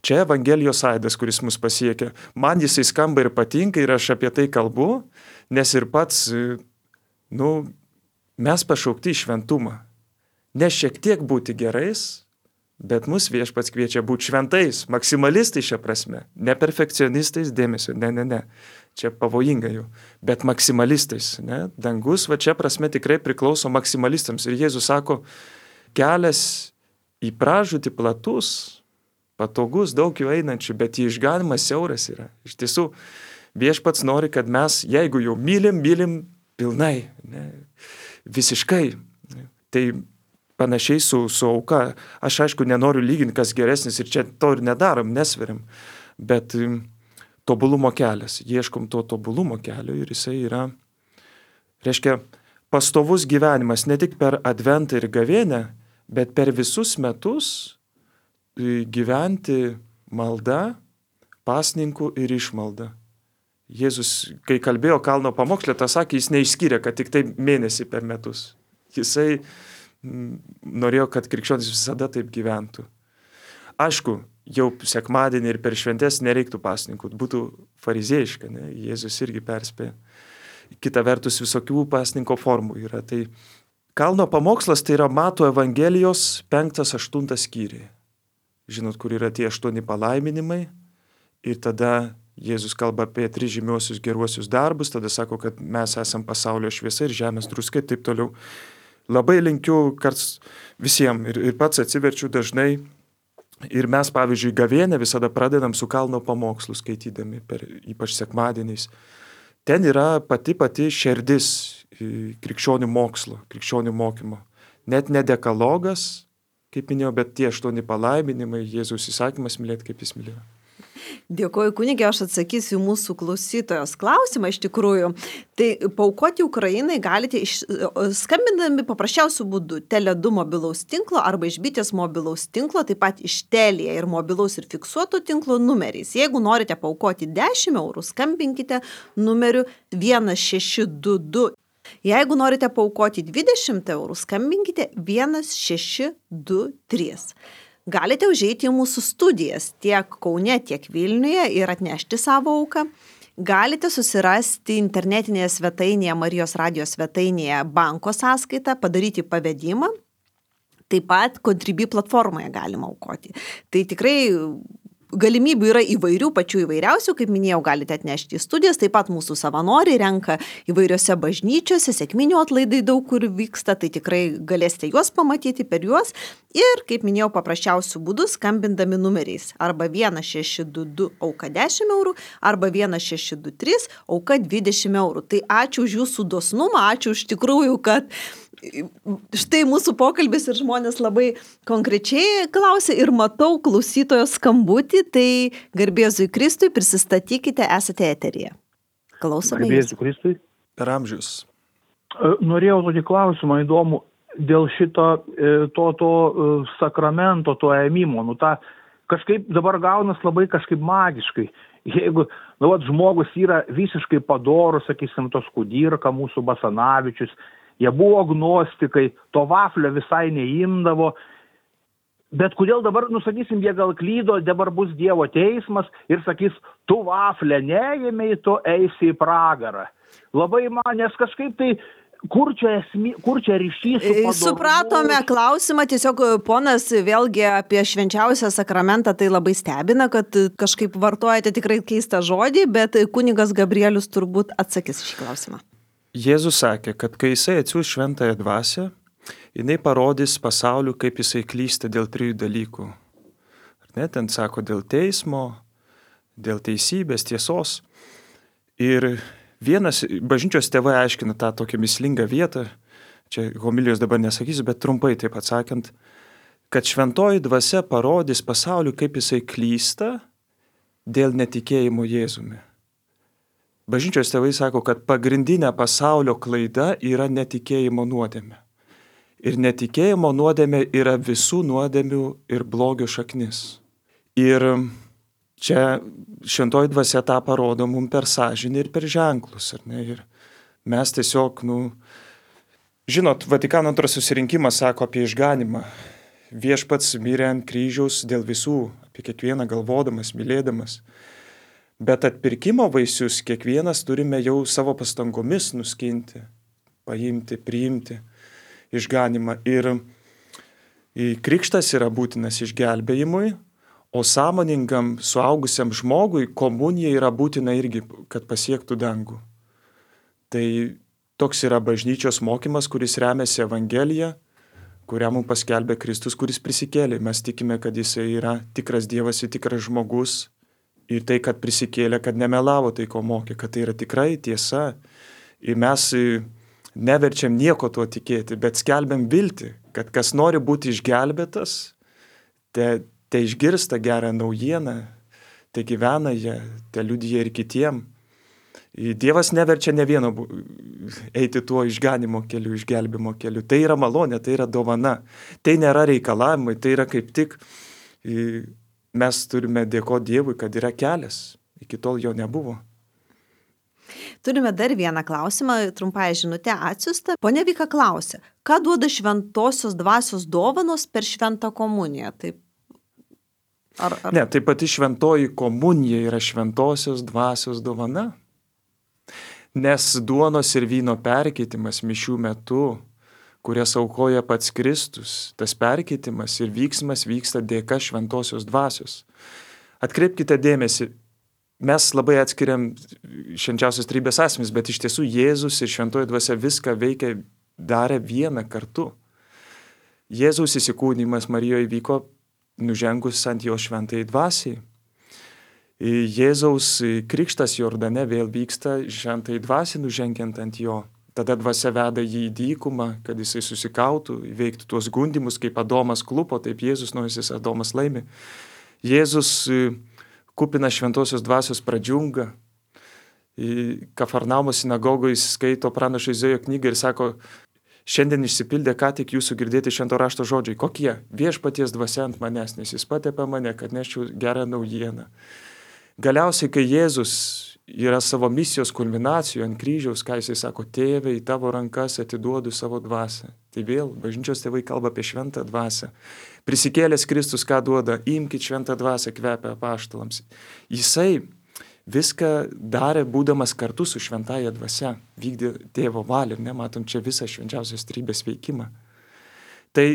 čia Evangelijos aidas, kuris mus pasiekia. Man jisai skamba ir patinka ir aš apie tai kalbu, nes ir pats, nu, mes pašaukti į šventumą. Ne šiek tiek būti gerais, bet mus viešpats kviečia būti šventais, maksimalistai šia prasme. Ne perfekcionistais, dėmesio, ne, ne, ne. Čia pavojinga jau, bet maksimalistais. Ne? Dangus, va čia prasme tikrai priklauso maksimalistams. Ir Jėzus sako, kelias į pražūtį platus, patogus, daug jų einančių, bet į išganimą siauras yra. Iš tiesų, viešpats nori, kad mes, jeigu jau mylim, mylim pilnai, ne, visiškai. Tai panašiai su, su auka. Aš aišku nenoriu lyginti, kas geresnis ir čia to ir nedarom, nesveriam. Bet tobulumo kelias, ieškom to tobulumo kelio ir jisai yra, reiškia, pastovus gyvenimas ne tik per adventą ir gavėnę, bet per visus metus gyventi malda, pasninku ir išmalda. Jėzus, kai kalbėjo kalno pamokslę, tą sakė, jis neišskyrė, kad tik tai mėnesį per metus. Jisai norėjo, kad krikščionys visada taip gyventų. Aišku, jau sekmadienį ir per šventes nereiktų pasninkų, būtų farizėjiška, ne? Jėzus irgi perspėjo. Kita vertus, visokių pasninko formų yra. Tai kalno pamokslas tai yra Mato Evangelijos penktas aštuntas skyriai. Žinot, kur yra tie aštuoni palaiminimai ir tada Jėzus kalba apie tris žymiuosius geruosius darbus, tada sako, kad mes esam pasaulio šviesa ir žemės druska ir taip toliau. Labai linkiu karts visiems ir, ir pats atsiverčiu dažnai. Ir mes, pavyzdžiui, gavėnę visada pradedam su kalno pamokslu skaitydami, per, ypač sekmadieniais. Ten yra pati pati šerdis krikščionių mokslo, krikščionių mokymo. Net ne dekalogas, kaip minėjau, bet tie aštuoni palaiminimai, Jėzaus įsakymas mylėti, kaip jis mylėjo. Dėkoju, kunigė, aš atsakysiu mūsų klausytojos klausimą iš tikrųjų. Tai paaukoti Ukrainai galite iš, skambindami paprasčiausių būdų Tele du mobilaus tinklo arba iš Bitės mobilaus tinklo, taip pat iš Telia ir mobilaus ir fiksuoto tinklo numeriais. Jeigu norite paaukoti dešimt eurų, skambinkite numeriu vienas šeši du du. Jeigu norite paaukoti dvidešimt eurų, skambinkite vienas šeši du trys. Galite užeiti į mūsų studijas tiek Kaune, tiek Vilniuje ir atnešti savo auką. Galite susirasti internetinėje svetainėje, Marijos radijos svetainėje banko sąskaitą, padaryti pavedimą. Taip pat Contribui platformoje galima aukoti. Tai tikrai galimybių yra įvairių, pačių įvairiausių, kaip minėjau, galite atnešti į studijas, taip pat mūsų savanoriai renka įvairiose bažnyčiose, sekminių atlaidai daug kur vyksta, tai tikrai galėsite juos pamatyti per juos ir, kaip minėjau, paprasčiausių būdų skambindami numeriais arba vienas šeši du du auka dešimt eurų arba vienas šeši du trys auka dvidešimt eurų. Tai ačiū už jūsų dosnumą, ačiū už tikrųjų, kad štai mūsų pokalbis ir žmonės labai konkrečiai klausė ir matau klausytojo skambutį, tai garbėzui Kristui prisistatykite, esate eteryje. Klausome. Garbėzui Kristui. Per amžius. Norėjau tokį klausimą įdomų dėl šito to, to sakramento, to ėmimo. Nu, ta, kažkaip dabar gaunas labai kažkaip magiškai. Jeigu nu, vat, žmogus yra visiškai padorus, sakysim, tos Kudirka, mūsų Basanavičius, jie buvo agnostikai, to vaflio visai neimdavo, bet kodėl dabar, nusakysim, jie gal klydo, dabar bus Dievo teismas ir sakys, tu vaflę neėmei, tu eisi į pragarą. Labai man, nes kažkaip tai, kur čia, esmi, kur čia ryšys su padorumu? Supratome klausimą, tiesiog ponas vėlgi apie švenčiausią sakramentą tai labai stebina, kad kažkaip vartojate tikrai keistą žodį, bet kunigas Gabrielius turbūt atsakys šį klausimą. Jėzus sakė, kad kai jisai atsiųs šventąją dvasią, jinai parodys pasauliu, kaip jisai klysta dėl trijų dalykų. Ar ne, ten sako dėl teismo, dėl teisybės, tiesos. Ir vienas, bažnyčios tėvai aiškina tą tokią mislingą vietą, čia homilijos dabar nesakysiu, bet trumpai taip atsakant, kad šventoji dvasia parodys pasauliu, kaip jisai klysta dėl netikėjimo Jėzumi. Bažnyčios tėvai sako, kad pagrindinė pasaulio klaida yra netikėjimo nuodėmė. Ir netikėjimo nuodėmė yra visų nuodėmių ir blogio šaknis. Ir čia šventoji dvasia tą parodo mums per sąžinę ir per ženklus. Ar ne? Ir mes tiesiog, nu, žinot, Vatikano antras susirinkimas sako apie išganimą. Viešpats mirė ant kryžiaus dėl visų, apie kiekvieną galvodamas, mylėdamas. Bet atpirkimo vaisius kiekvienas turime jau savo pastangomis nuskinti, paimti, priimti išganimą. Ir krikštas yra būtinas išgelbėjimui, o sąmoningam suaugusiam žmogui komunija yra būtina irgi, kad pasiektų dangų. Tai toks yra bažnyčios mokymas, kuris remiasi Evangeliją, kurią mums paskelbė Kristus, kuris prisikėlė. Mes tikime, kad jisai yra tikras Dievas ir tikras žmogus. Ir tai, kad prisikėlė, kad nemelavo tai, ko mokė, kad tai yra tikrai tiesa. Ir mes neverčiam nieko tuo tikėti, bet skelbiam viltį, kad kas nori būti išgelbėtas, te, te išgirsta gerą naujieną, te gyvena ją, te liudija ir kitiem. Dievas neverčia ne vieno eiti tuo išganimo keliu, išgelbimo keliu. Tai yra malonė, tai yra dovana. Tai nėra reikalavimai, tai yra kaip tik... Mes turime dėkoti Dievui, kad yra kelias. Iki tol jo nebuvo. Turime dar vieną klausimą, trumpąją žinutę atsiųstą. Pone Vika klausia, ką duoda šventosios dvasios dovanos per šventą komuniją? Taip. Ar, ar... Ne, tai pati šventoji komunija yra šventosios dvasios dovana. Nes duonos ir vyno perkeitimas mišių metu, kurias aukoja pats Kristus, tas perkeitimas ir vyksmas vyksta dėka šventosios dvasios. Atkreipkite dėmesį, mes labai atskiriam švenčiausios trejybės asmenys, bet iš tiesų Jėzus ir šventoji dvasia viską veikia, darė vieną kartu. Jėzaus įsikūnijimas Marijoje vyko nužengus ant jo šventai dvasiai. Jėzaus krikštas Jordane vėl vyksta šventai dvasiai nužengiant ant jo. Tada dvasia veda jį į dykumą, kad jisai susikautų, įveiktų tuos gundimus, kaip Adomas klupo, taip Jėzus naujasis Adomas laimi. Jėzus kupina šventosios dvasios pradžiunga. Kafarnaumo sinagogoje jis skaito pranašo Izaijo knygą ir sako, šiandien išsipildė ką tik jūsų girdėti švento rašto žodžiai. Kokie? Viešpaties dvasia ant manęs, nes jis patepė mane, kad neščiau gerą naujieną. Galiausiai, kai Jėzus yra savo misijos kulminacijų ant kryžiaus, ką jisai sako, tėve, į tavo rankas atiduodu savo dvasią. Tai vėl, bažnyčios tėvai kalba apie šventą dvasią. Prisikėlęs Kristus ką duoda, imkit šventą dvasią, kvepia apaštalams. Jisai viską darė, būdamas kartu su šventaja dvasia, vykdė tėvo valią ir nematom čia visą švenčiausios trejybės veikimą. Tai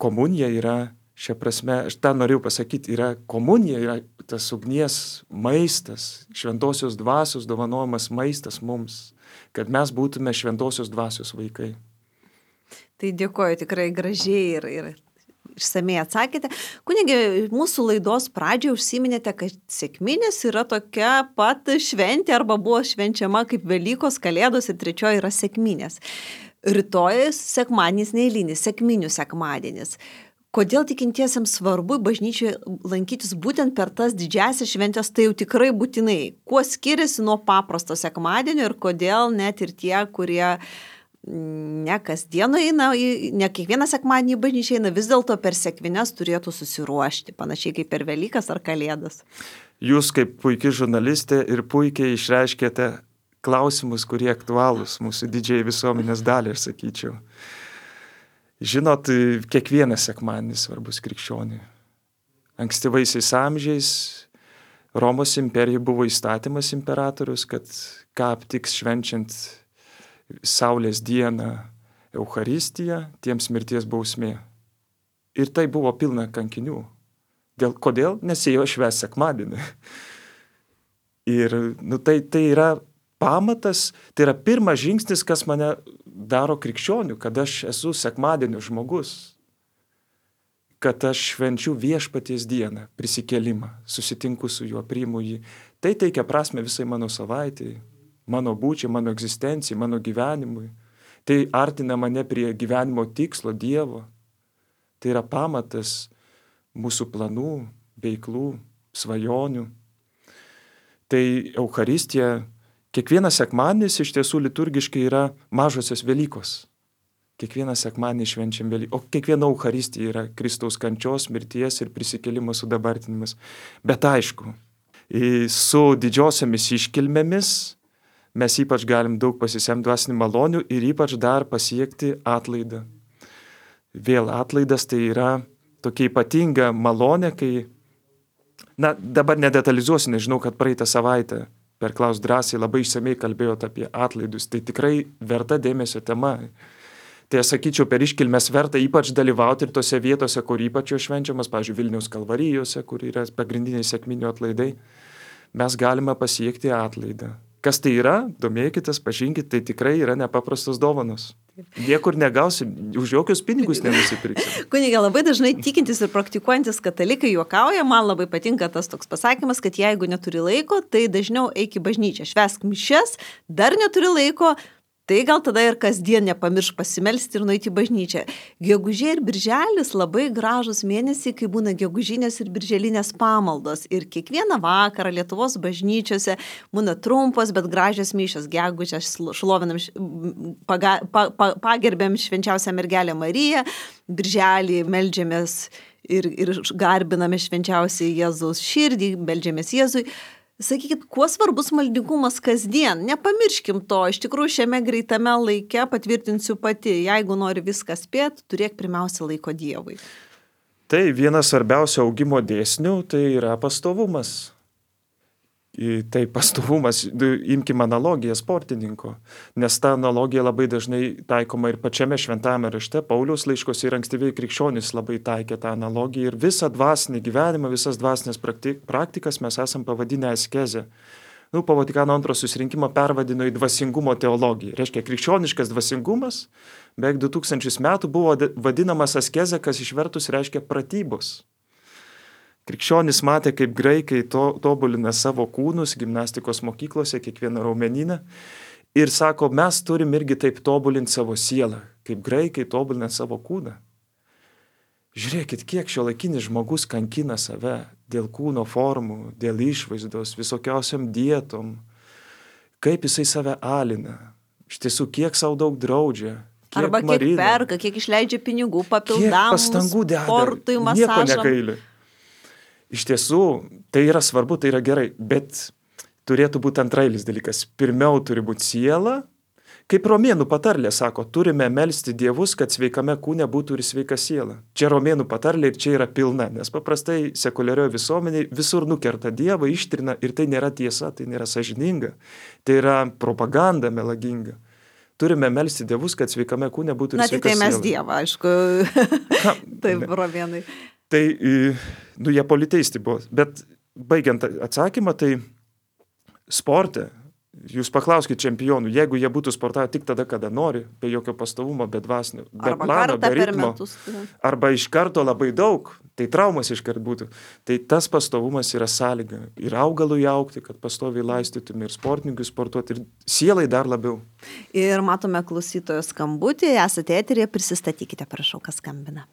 komunija yra, šia prasme, aš tą norėjau pasakyti, yra komunija, yra tas ugnies maistas, šventosios dvasios dovanojamas maistas mums, kad mes būtume šventosios dvasios vaikai. Tai dėkoju, tikrai gražiai ir, ir išsamei atsakėte. Kunige, mūsų laidos pradžioje užsiminėte, kad sekminės yra tokia pat šventė arba buvo švenčiama kaip Velykos, Kalėdos ir trečioji yra sekminės. Rytoj sekmadienis neeilinis, sekminių sekmadienis. Kodėl tikintiesiems svarbu bažnyčioje lankytis būtent per tas didžiasias šventės, tai jau tikrai būtinai. Kuo skiriasi nuo paprasto sekmadienio ir kodėl net ir tie, kurie ne kasdien eina, ne kiekvieną sekmadienį į bažnyčią eina, vis dėlto per sekmines turėtų susiruošti, panašiai kaip per Velykas ar Kalėdas. Jūs kaip puikiai žurnalistė ir puikiai išreiškėte klausimus, kurie aktualūs mūsų didžiai visuomenės daliai, aš sakyčiau. Žinot, kiekvienas sekmadienis svarbus krikščioniui. Ankstyvaisiais amžiais Romos imperija buvo įstatymas imperatorius, kad ką aptiks švenčiant Saulės dieną Eucharistiją, tiems mirties bausmė. Ir tai buvo pilna kankinių. Dėl, kodėl? Nes jie jo švęs sekmadienį. Ir nu, tai, tai yra pamatas, tai yra pirmas žingsnis, kas mane daro krikščionių, kad aš esu sekmadienio žmogus, kad aš švenčiu viešpaties dieną, prisikėlimą, susitinku su juo, priimu jį. Tai teikia prasme visai mano savaitai, mano būčiai, mano egzistencijai, mano gyvenimui. Tai artina mane prie gyvenimo tikslo Dievo. Tai yra pamatas mūsų planų, veiklų, svajonių. Tai Eucharistija, kiekvienas sekmadienis iš tiesų liturgiškai yra mažosios Velykos. Kiekvieną sekmadienį švenčiam Velykos. O kiekviena Eucharistija yra Kristaus kančios, mirties ir prisikėlimo sudabartinimas. Bet aišku, su didžiosiomis iškilmėmis mes ypač galim daug pasisemti dvasinių malonių ir ypač dar pasiekti atlaidą. Vėl atlaidas tai yra tokia ypatinga malonė, kai, na, dabar nedetalizuosiu, nežinau, kad praeitą savaitę per Klaus drąsiai labai išsamei kalbėjot apie atlaidus. Tai tikrai verta dėmesio tema. Tai aš sakyčiau, per iškilmes verta ypač dalyvauti ir tose vietose, kur ypač jo švenčiamas, pavyzdžiui, Vilniaus Kalvarijose, kur yra pagrindiniai sekminių atlaidai, mes galime pasiekti atlaidą. Kas tai yra? Domėkitės, pažinkit, tai tikrai yra nepaprastos dovanos. Niekur negausim, už jokius pinigus nenusipirksim. Kunige, labai dažnai tikintis ir praktikuojantis katalikai juokauja, man labai patinka tas toks pasakymas, kad jeigu neturi laiko, tai dažniau eik į bažnyčią, švęsk mišias, dar neturi laiko, tai gal tada ir kasdien nepamirš pasimelsti ir nueiti į bažnyčią. Gegužė ir birželis labai gražus mėnesiai, kai būna gegužinės ir birželinės pamaldos. Ir kiekvieną vakarą Lietuvos bažnyčiose būna trumpos, bet gražios mišios. Gegužę šlovinam, paga, pa, pa, pagerbėm švenčiausią mergelę Mariją, birželį meldžiamės ir, ir garbiname švenčiausią Jėzaus širdį, meldžiamės Jėzui. Sakykit, kuo svarbus maldingumas kasdien? Nepamirškim to, iš tikrųjų šiame greitame laike patvirtinsiu pati, jeigu nori viską spėti, turėk pirmiausia laiko Dievui. Tai vienas svarbiausių augimo dėsnių, tai yra pastovumas. Tai pastovumas, imkim analogiją sportininko, nes ta analogija labai dažnai taikoma ir pačiame šventame rašte, Pauliaus laiškose ir ankstyviai krikščionys labai taikė tą analogiją ir visą dvasinį gyvenimą, visas dvasinės praktikas mes esam pavadinę askezę. Nu, po Vatikano antro susirinkimo pervadino į dvasingumo teologiją. Reiškia, krikščioniškas dvasingumas beveik du tūkstančius metų buvo vadinamas askezė, kas išvertus reiškia pratybos. Krikščionys matė, kaip graikai to, tobulina savo kūnus gimnastikos mokyklose, kiekvieną raumenyną. Ir sako, mes turim irgi taip tobulinti savo sielą, kaip graikai tobulina savo kūną. Žiūrėkit, kiek šiuolaikinis žmogus kankina save dėl kūno formų, dėl išvaizdos, visokiausiam dietom. Kaip jisai save alina. Iš tiesų, kiek savo daug draudžia. Kiek Arba kiek marina, perka, kiek išleidžia pinigų papildam kiek pastangų deda, sportui, nieko masažam. negaili. Iš tiesų, tai yra svarbu, tai yra gerai, bet turėtų būti antrailis dalykas. Pirmiau turi būti siela. Kaip romėnų patarlė sako, turime melsti dievus, kad sveikame kūne būtų ir sveika siela. Čia romėnų patarlė ir čia yra pilna, nes paprastai sekuliarioje visuomenėje visur nukerta dievą, ištrina ir tai nėra tiesa, tai nėra sąžininga, tai yra propaganda melaginga. Turime melsti dievus, kad sveikame kūne būtų ir Na, sveika tik tai siela. mes Dievą, aišku. Taip, romėnai. Tai, nu, jie politeisti buvo. Bet baigiant atsakymą, tai sporte, jūs paklauskite čempionų, jeigu jie būtų sportavę tik tada, kada nori, be jokio pastovumo, be dvasinio, be Arba plano, kartą be per ritmo, metus. arba iš karto labai daug, tai traumas iškart būtų. Tai tas pastovumas yra sąlyga. Ir augalui augti, kad pastoviai laistytume, ir sportininkui sportuoti, ir sielai dar labiau. Ir matome klausytojo skambutį, esate eterėje, prisistatykite, prašau, kas skambina.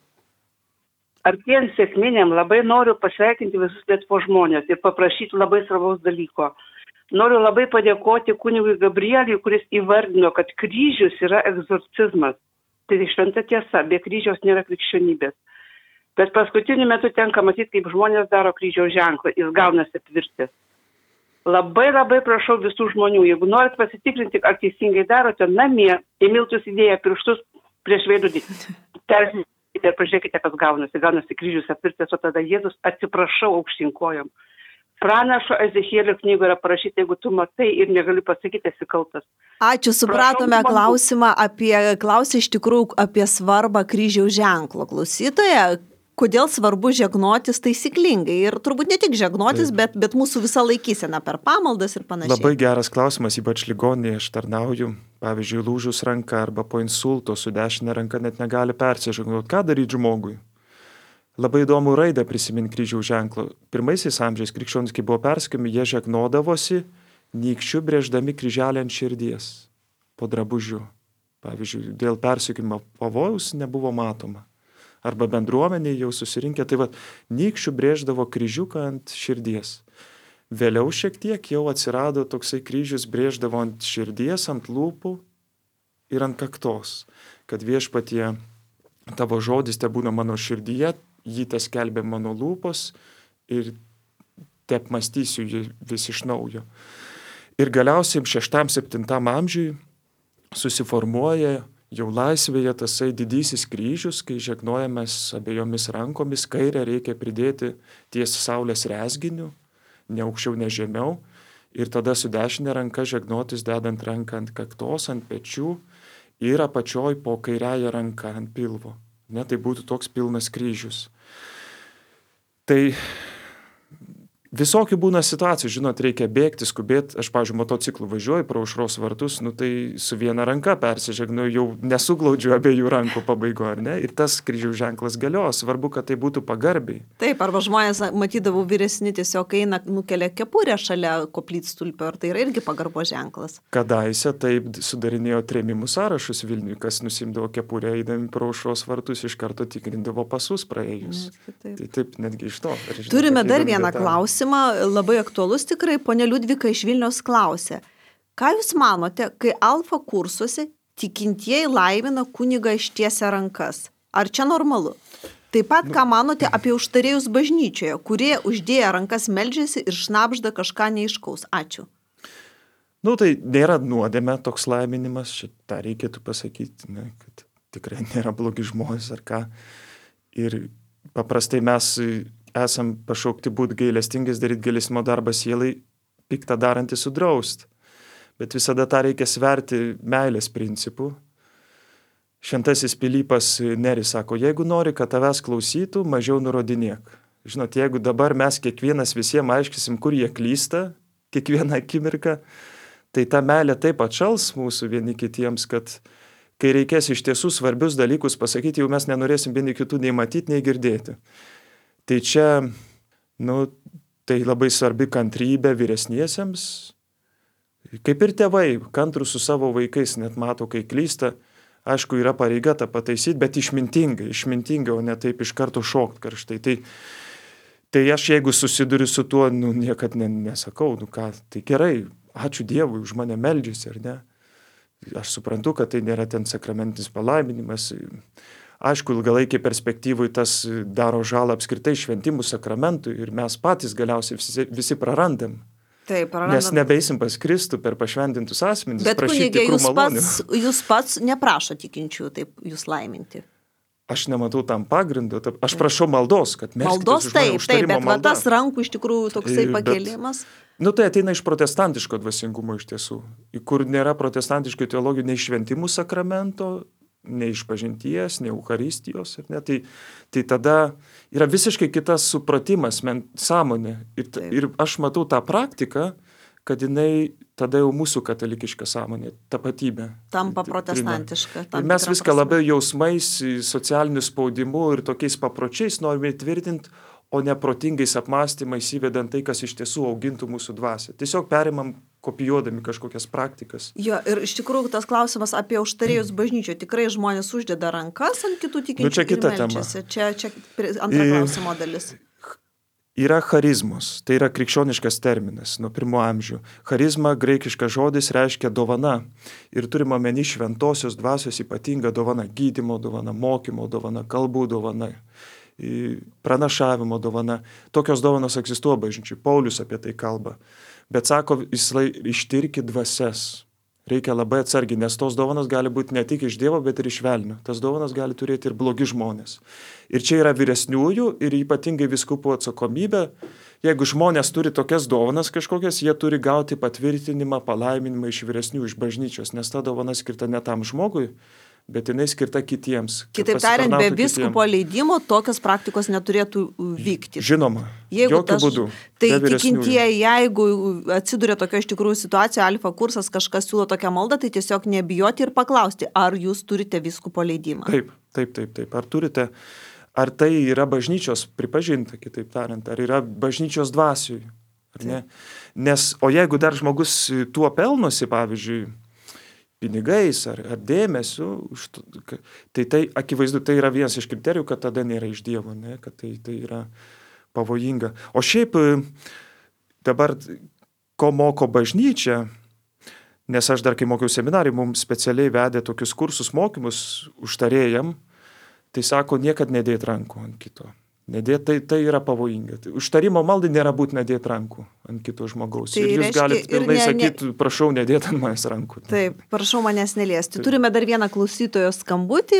Artėjant sėkminėm labai noriu pasveikinti visus Lietuvos žmonės ir paprašyti labai svarbaus dalyko. Noriu labai padėkoti kunigui Gabrieliui, kuris įvardino, kad kryžius yra egzorcizmas. Tai šventa tiesa, be kryžiaus nėra krikščionybės. Bet paskutiniu metu tenka matyti, kaip žmonės daro kryžiaus ženklą, jis gaunasi tvirtis. Labai labai prašau visų žmonių, jeigu norit pasitikrinti, ar teisingai darote, namie į miltus įdėję pirštus prieš veidrodį. Persitikite ir pažiūrėkite, kas gaunasi. Gaunasi kryžius apvirtęs, o tada Jėzus atsiprašau aukštyn kojom. Pranašo Ezechielio knygoje yra parašyta, jeigu tu matai ir negaliu pasakyti, esi kaltas. Ačiū, supratome Prašau, klausimą apie, klausė iš tikrųjų apie svarbą kryžiaus ženklo. Klausytoja, kodėl svarbu žegnotis taisyklingai? Ir turbūt ne tik žegnotis, bet, bet mūsų visa laikysena per pamaldas ir panašiai. Labai geras klausimas, ypač ligoninėje aš tarnauju. Pavyzdžiui, lūžus ranka arba po insulto su dešinė ranka net negali persižegnoti. Ką daryti žmogui? Labai įdomu raidę prisiminti kryžiaus ženklą. Pirmaisiais amžiais krikščionys, kai buvo persekiojami, jie žegnodavosi nykščiu brėždami kryželį ant širdies po drabužiu. Pavyzdžiui, dėl persekiojimo pavojaus nebuvo matoma. Arba bendruomenė jau susirinkę, tai va, nykščiu brėždavo kryžiuką ant širdies. Vėliau šiek tiek jau atsirado toksai kryžius brėždavo ant širdies, ant lūpų ir ant kaktos, kad viešpatie tavo žodis te būna mano širdyje, jį te skelbė mano lūpos ir te apmastysiu jį vis iš naujo. Ir galiausiai šeštam, septintam amžiui susiformuoja jau laisvėje tasai didysis kryžius, kai žegnojamės abiejomis rankomis, kairę reikia pridėti ties saulės rezginiu, ne aukščiau, ne žemiau, ir tada su dešinė ranka žegnotis dedant ranką ant kaktos, ant pečių ir apačioj po kairiąją ranką ant pilvo. Ne, tai būtų toks pilnas kryžius. Tai visokių būna situacijų, žinot, reikia bėgti, skubėti. Aš, pavyzdžiui, motociklu važiuoju pro aušros vartus, nu tai su viena ranka persižegnu, jau nesuglaudžiu abiejų rankų pabaigo, ar ne? Ir tas kryžiaus ženklas galios, svarbu, kad tai būtų pagarbiai. Taip, arba žmonės, matydavau, vyresni tiesiog eina, nukelia kepurę šalia koplytstulpio, ar tai yra irgi pagarbo ženklas. Kadaise taip sudarinėjo trėmimų sąrašus Vilniui, kas nusimdavo kepurę, eidami pro aušros vartus, iš karto tikrindavo pasus praėjus. Taip, taip. Tai taip, netgi iš to. Žinau, Turime dar įdomi vieną detalė. klausimą, labai aktualus tikrai. Ponia Liudvika iš Vilniaus klausė, ką jūs manote, kai alfa kursuose tikintieji laimina kunigą ištiesia rankas? Ar čia normalu? Taip pat, ką manote apie užtarėjus bažnyčioje, kurie uždėję rankas meldžiasi ir šnabžda kažką neiškaus? Ačiū. Nu, tai nėra nuodėmė toks laiminimas, šitą reikėtų pasakyti, ne, kad tikrai nėra blogi žmonės ar ką. Ir paprastai mes esam pašaukti būti gailestingais, daryti gailestimo darbą sielai, piktą darantį sudraust. Bet visada tą reikia sverti meilės principų. Šventasis Pilypas Neris sako, jeigu nori, kad tavęs klausytų, mažiau nurodinėk. Žinot, jeigu dabar mes kiekvienas visiems aiškisim, kur jie klysta, kiekvieną akimirką, tai ta meilė taip atšals mūsų vieni kitiems, kad kai reikės iš tiesų svarbius dalykus pasakyti, jau mes nenorėsim vieni kitų nei matyti, nei girdėti. Tai čia, nu, tai labai svarbi kantrybė vyresniesiems, kaip ir tėvai, kantrų su savo vaikais, net mato, kai klysta. Aišku, yra pareiga tą pataisyti, bet išmintingai, išmintingai, o ne taip iš karto šokt karštai. Tai, tai aš jeigu susiduriu su tuo, nu, niekad ne, nesakau, nu ką, tai gerai, ačiū Dievui, už mane meldžiasi, ar ne? Aš suprantu, kad tai nėra ten sakramentinis palaiminimas. Aišku, ilgalaikiai perspektyvui tas daro žalą apskritai šventimų sakramentui ir mes patys galiausiai visi, visi prarandam. Taip, prarandam. Nes nebeisim pas Kristų per pašventintus asmenis. Bet kunigė, jūs pats, jūs pats neprašo tikinčių taip jūs laiminti. Aš nematau tam pagrindo. Aš prašau maldos, kad maldos taip, taip, bet va, tas rankų iš tikrųjų toksai pakėlimas. Bet, nu tai ateina iš protestantiško dvasingumo iš tiesų, kur nėra protestantiškų teologijų nei šventimų sakramento, nei išpažinties, nei eucharistijos. Ne? Tai, tai tada yra visiškai kitas supratimas, men, sąmonė. Ir, ir aš matau tą praktiką, kad jinai tada jau mūsų katalikiška sąmonė, tapatybė. Tampa protestantiška. Ir mes viską prasme. Labiau jausmais, socialiniu spaudimu ir tokiais papročiais norime įtvirtinti, o neprotingais apmąstymais įvedant tai, kas iš tiesų augintų mūsų dvasią. Tiesiog perimam kopijuodami kažkokias praktikas. Jo, ir iš tikrųjų tas klausimas apie užtarėjus bažnyčioje. Tikrai žmonės uždeda rankas ant kitų tikinčių nu, čia kita ir meldžiasi. Čia, čia antra klausimo dalis. Yra charizmos, tai yra krikščioniškas terminas nuo pirmo amžių. Charizma, graikiškas žodis, reiškia dovana. Ir turime omeny šventosios dvasios ypatingą dovaną, gydymo dovana, mokymo dovana, kalbų dovana, pranašavimo dovana. Tokios dovanos egzistuoja bažnyčiai. Paulius apie tai kalba. Bet sako, ištirki dvasias. Reikia labai atsargiai, nes tos dovanos gali būti ne tik iš Dievo, bet ir iš velnio. Tas dovanas gali turėti ir blogi žmonės. Ir čia yra vyresniųjų ir ypatingai vyskupų atsakomybė. Jeigu žmonės turi tokias dovanas kažkokias, jie turi gauti patvirtinimą, palaiminimą iš vyresnių, iš bažnyčios, nes ta dovana skirta ne tam žmogui, bet jinai skirta kitiems. Kitaip tariant, be vyskupo leidimo tokios praktikos neturėtų vykti. Žinoma, jeigu jokių tas, būdų. Tai tikintieji, jeigu atsiduria tokio iš tikrųjų situacijoje, alfa kursas kažkas siūlo tokią maldą, tai tiesiog nebijoti ir paklausti, ar jūs turite vyskupo leidimą. Taip, taip, taip, taip. Ar turite, ar tai yra bažnyčios pripažinta, kitaip tariant, ar yra bažnyčios dvasiui, ar ne? Nes, o jeigu dar žmogus tuo pelnosi, pavyzdžiui, pinigais ar, ar dėmesiu, tai tai akivaizdu, tai yra vienas iš kriterijų, kad tada nėra iš Dievo, ne? Kad tai, tai yra pavojinga. O šiaip dabar, ko moko bažnyčia, nes aš dar kai mokiau seminarijai, mums specialiai vedė tokius kursus mokymus užtarėjam, tai sako, niekad nedėt rankų ant kito. Nedėt, tai, tai yra pavojinga. Užtarimo maldai nėra būtina dėti rankų ant kito žmogaus. Tai ir jūs galite pilnai ne, sakyti, ne... prašau, nedėti ant manęs rankų. Taip, prašau manęs neliesti. Taip. Turime dar vieną klausytojo skambutį.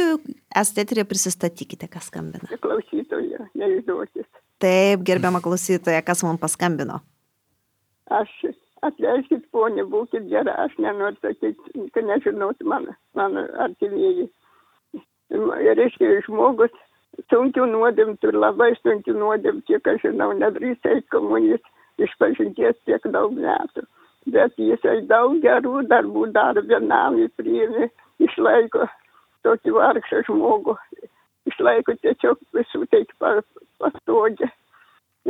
Esate eteryje, prisistatykite, kas skambina. Klausytoja, neišduokit. Taip, gerbiama klausytoja, kas man paskambino? Aš, atleiskit, ponė, būkit gera, aš nenoriu sakyti, kad nežinot mano, mano artimieji. Reiškia, žmogus sunkių nuodėmtų ir labai sunkių nuodėmtų, kiek aš žinau, nedrįsta eiti komunijos išpažinties tiek daug metų. Bet jisai daug gerų darbų daro, vienam jis priėmė, išlaiko tokį vargšą žmogų, išlaiko tiesiog visų taip pastogę.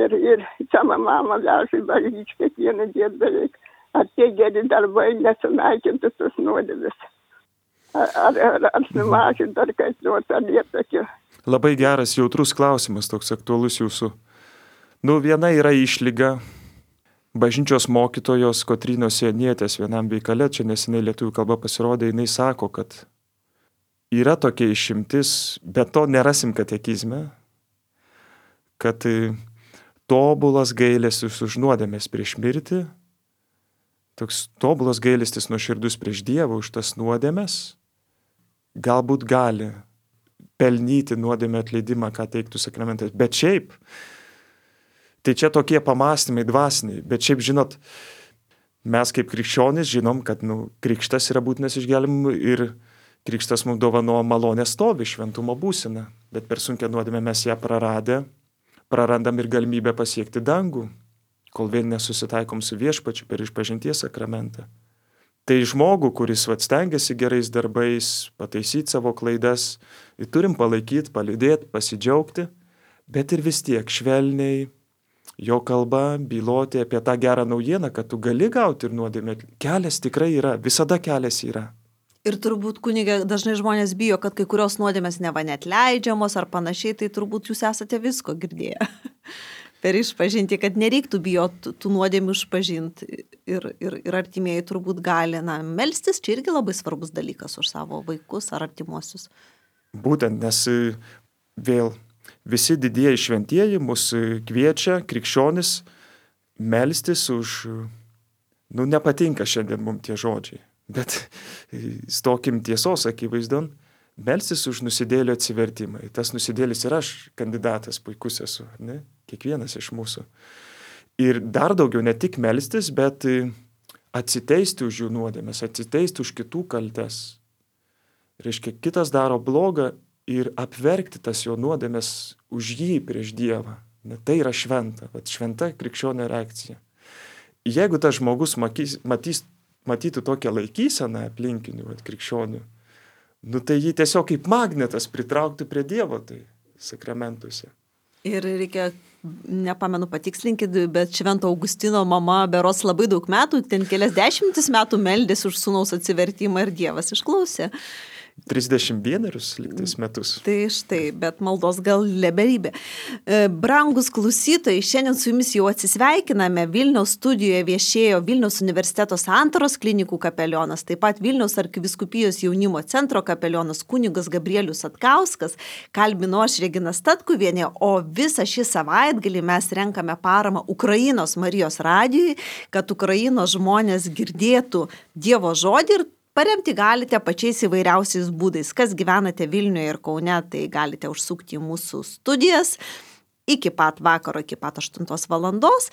Ir, ir sama mama veža į bažnyčią kiekvieną dieną beveik. Ar tie geri darbai nesunaikintų tos nuodėmės? Ar, ar, ar, ar sumažinti, ar kaip nors, ar liepakio? Labai geras, jautrus klausimas, toks aktualus jūsų. Nu, viena yra išlyga bažnyčios mokytojos Kotrynos Sienietės vienam veikale, čia neseniai lietuvių kalba pasirodė, jinai sako, kad yra tokia išimtis, bet to nerasim katekizme, kad tobulas gailestis už nuodėmės prieš mirtį, toks tobulas gailestis nuoširdus prieš Dievą už tas nuodėmės, galbūt gali pelnyti nuodėmę atleidimą, ką teiktų sakramentas. Bet šiaip, tai čia tokie pamastymai dvasiniai, bet šiaip, žinot, mes kaip krikščionys žinom, kad nu, krikštas yra būtinas išgelbėjimui ir krikštas mums dovanoja malonę stovi, šventumo būseną, bet per sunkią nuodėmę mes ją praradę, prarandam ir galimybę pasiekti dangų, kol vėl nesusitaikom su viešpačiu per išpažinties sakramentą. Tai žmogų, kuris vat stengiasi gerais darbais, pataisyti savo klaidas, turim palaikyti, palydėti, pasidžiaugti, bet ir vis tiek švelniai jo kalba byloti apie tą gerą naujieną, kad tu gali gauti ir nuodėmę. Kelias tikrai yra, visada kelias yra. Ir turbūt, kunige, dažnai žmonės bijo, kad kai kurios nuodėmės neva net leidžiamos ar panašiai, tai turbūt jūs esate visko girdėję. Per išpažinti, kad nereiktų bijoti tų nuodėmių išpažinti ir, ir, ir artimieji turbūt gali, na, melstis, čia irgi labai svarbus dalykas už savo vaikus ar artimuosius. Būtent, nes vėl visi didieji šventieji mus kviečia, krikščionis, melstis už, nu, nepatinka šiandien mums tie žodžiai, bet stokim tiesos akivaizdon, melstis už nusidėlio atsivertimą. Tas nusidėlis ir aš kandidatas puikus esu, ne? Kiekvienas iš mūsų. Ir dar daugiau ne tik melstis, bet atsiteisti už jų nuodėmes, atsiteisti už kitų kaltes. Reiškia, kitas daro blogą ir apverkti tas jo nuodėmes už jį prieš Dievą. Ne, tai yra šventa, vat šventa krikščionio reakcija. Jeigu tas žmogus matys, matys, matytų tokią laikyseną aplinkinių vat, krikščionių, nu tai jį tiesiog kaip magnetas pritraukti prie Dievo tai sakramentuose. Ir reikia, nepamenu patikslinkit, bet Švento Augustino mama beros labai daug metų, ten kelias dešimtis metų meldėsi už sūnaus atsivertimą ir Dievas išklausė. trisdešimt vienerius liktais metus. Tai štai, bet maldos gal leberybė. Brangus klausytojai, šiandien su jumis jau atsisveikiname. Vilniaus studijoje viešėjo Vilniaus universiteto Santaros klinikų kapelionas, taip pat Vilniaus arkivyskupijos jaunimo centro kapelionas kunigas Gabrielius Satkauskas, kalbino aš Regina Statkuvienė, o visą šį savaitgalį mes renkame paramą Ukrainos Marijos radijui, kad Ukrainos žmonės girdėtų Dievo žodį ir paremti galite pačiais įvairiausiais būdais. Kas gyvenate Vilniuje ir Kaune, tai galite užsukti į mūsų studijas iki pat vakaro, iki pat aštuntos valandos.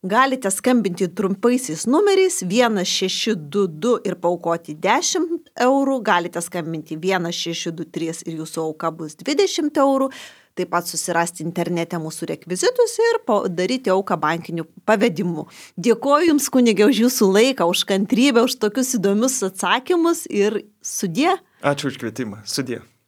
Galite skambinti trumpaisiais numeriais vienas šeši du du ir paaukoti dešimt eurų. Galite skambinti vienas šeši du trys ir jūsų auka bus dvidešimt eurų. Taip pat susirasti internete mūsų rekvizitus ir daryti auką bankiniu pavedimu. Dėkoju Jums, kunige, už Jūsų laiką, už kantrybę, už tokius įdomius atsakymus ir sudie. Ačiū už kvietimą. Sudie.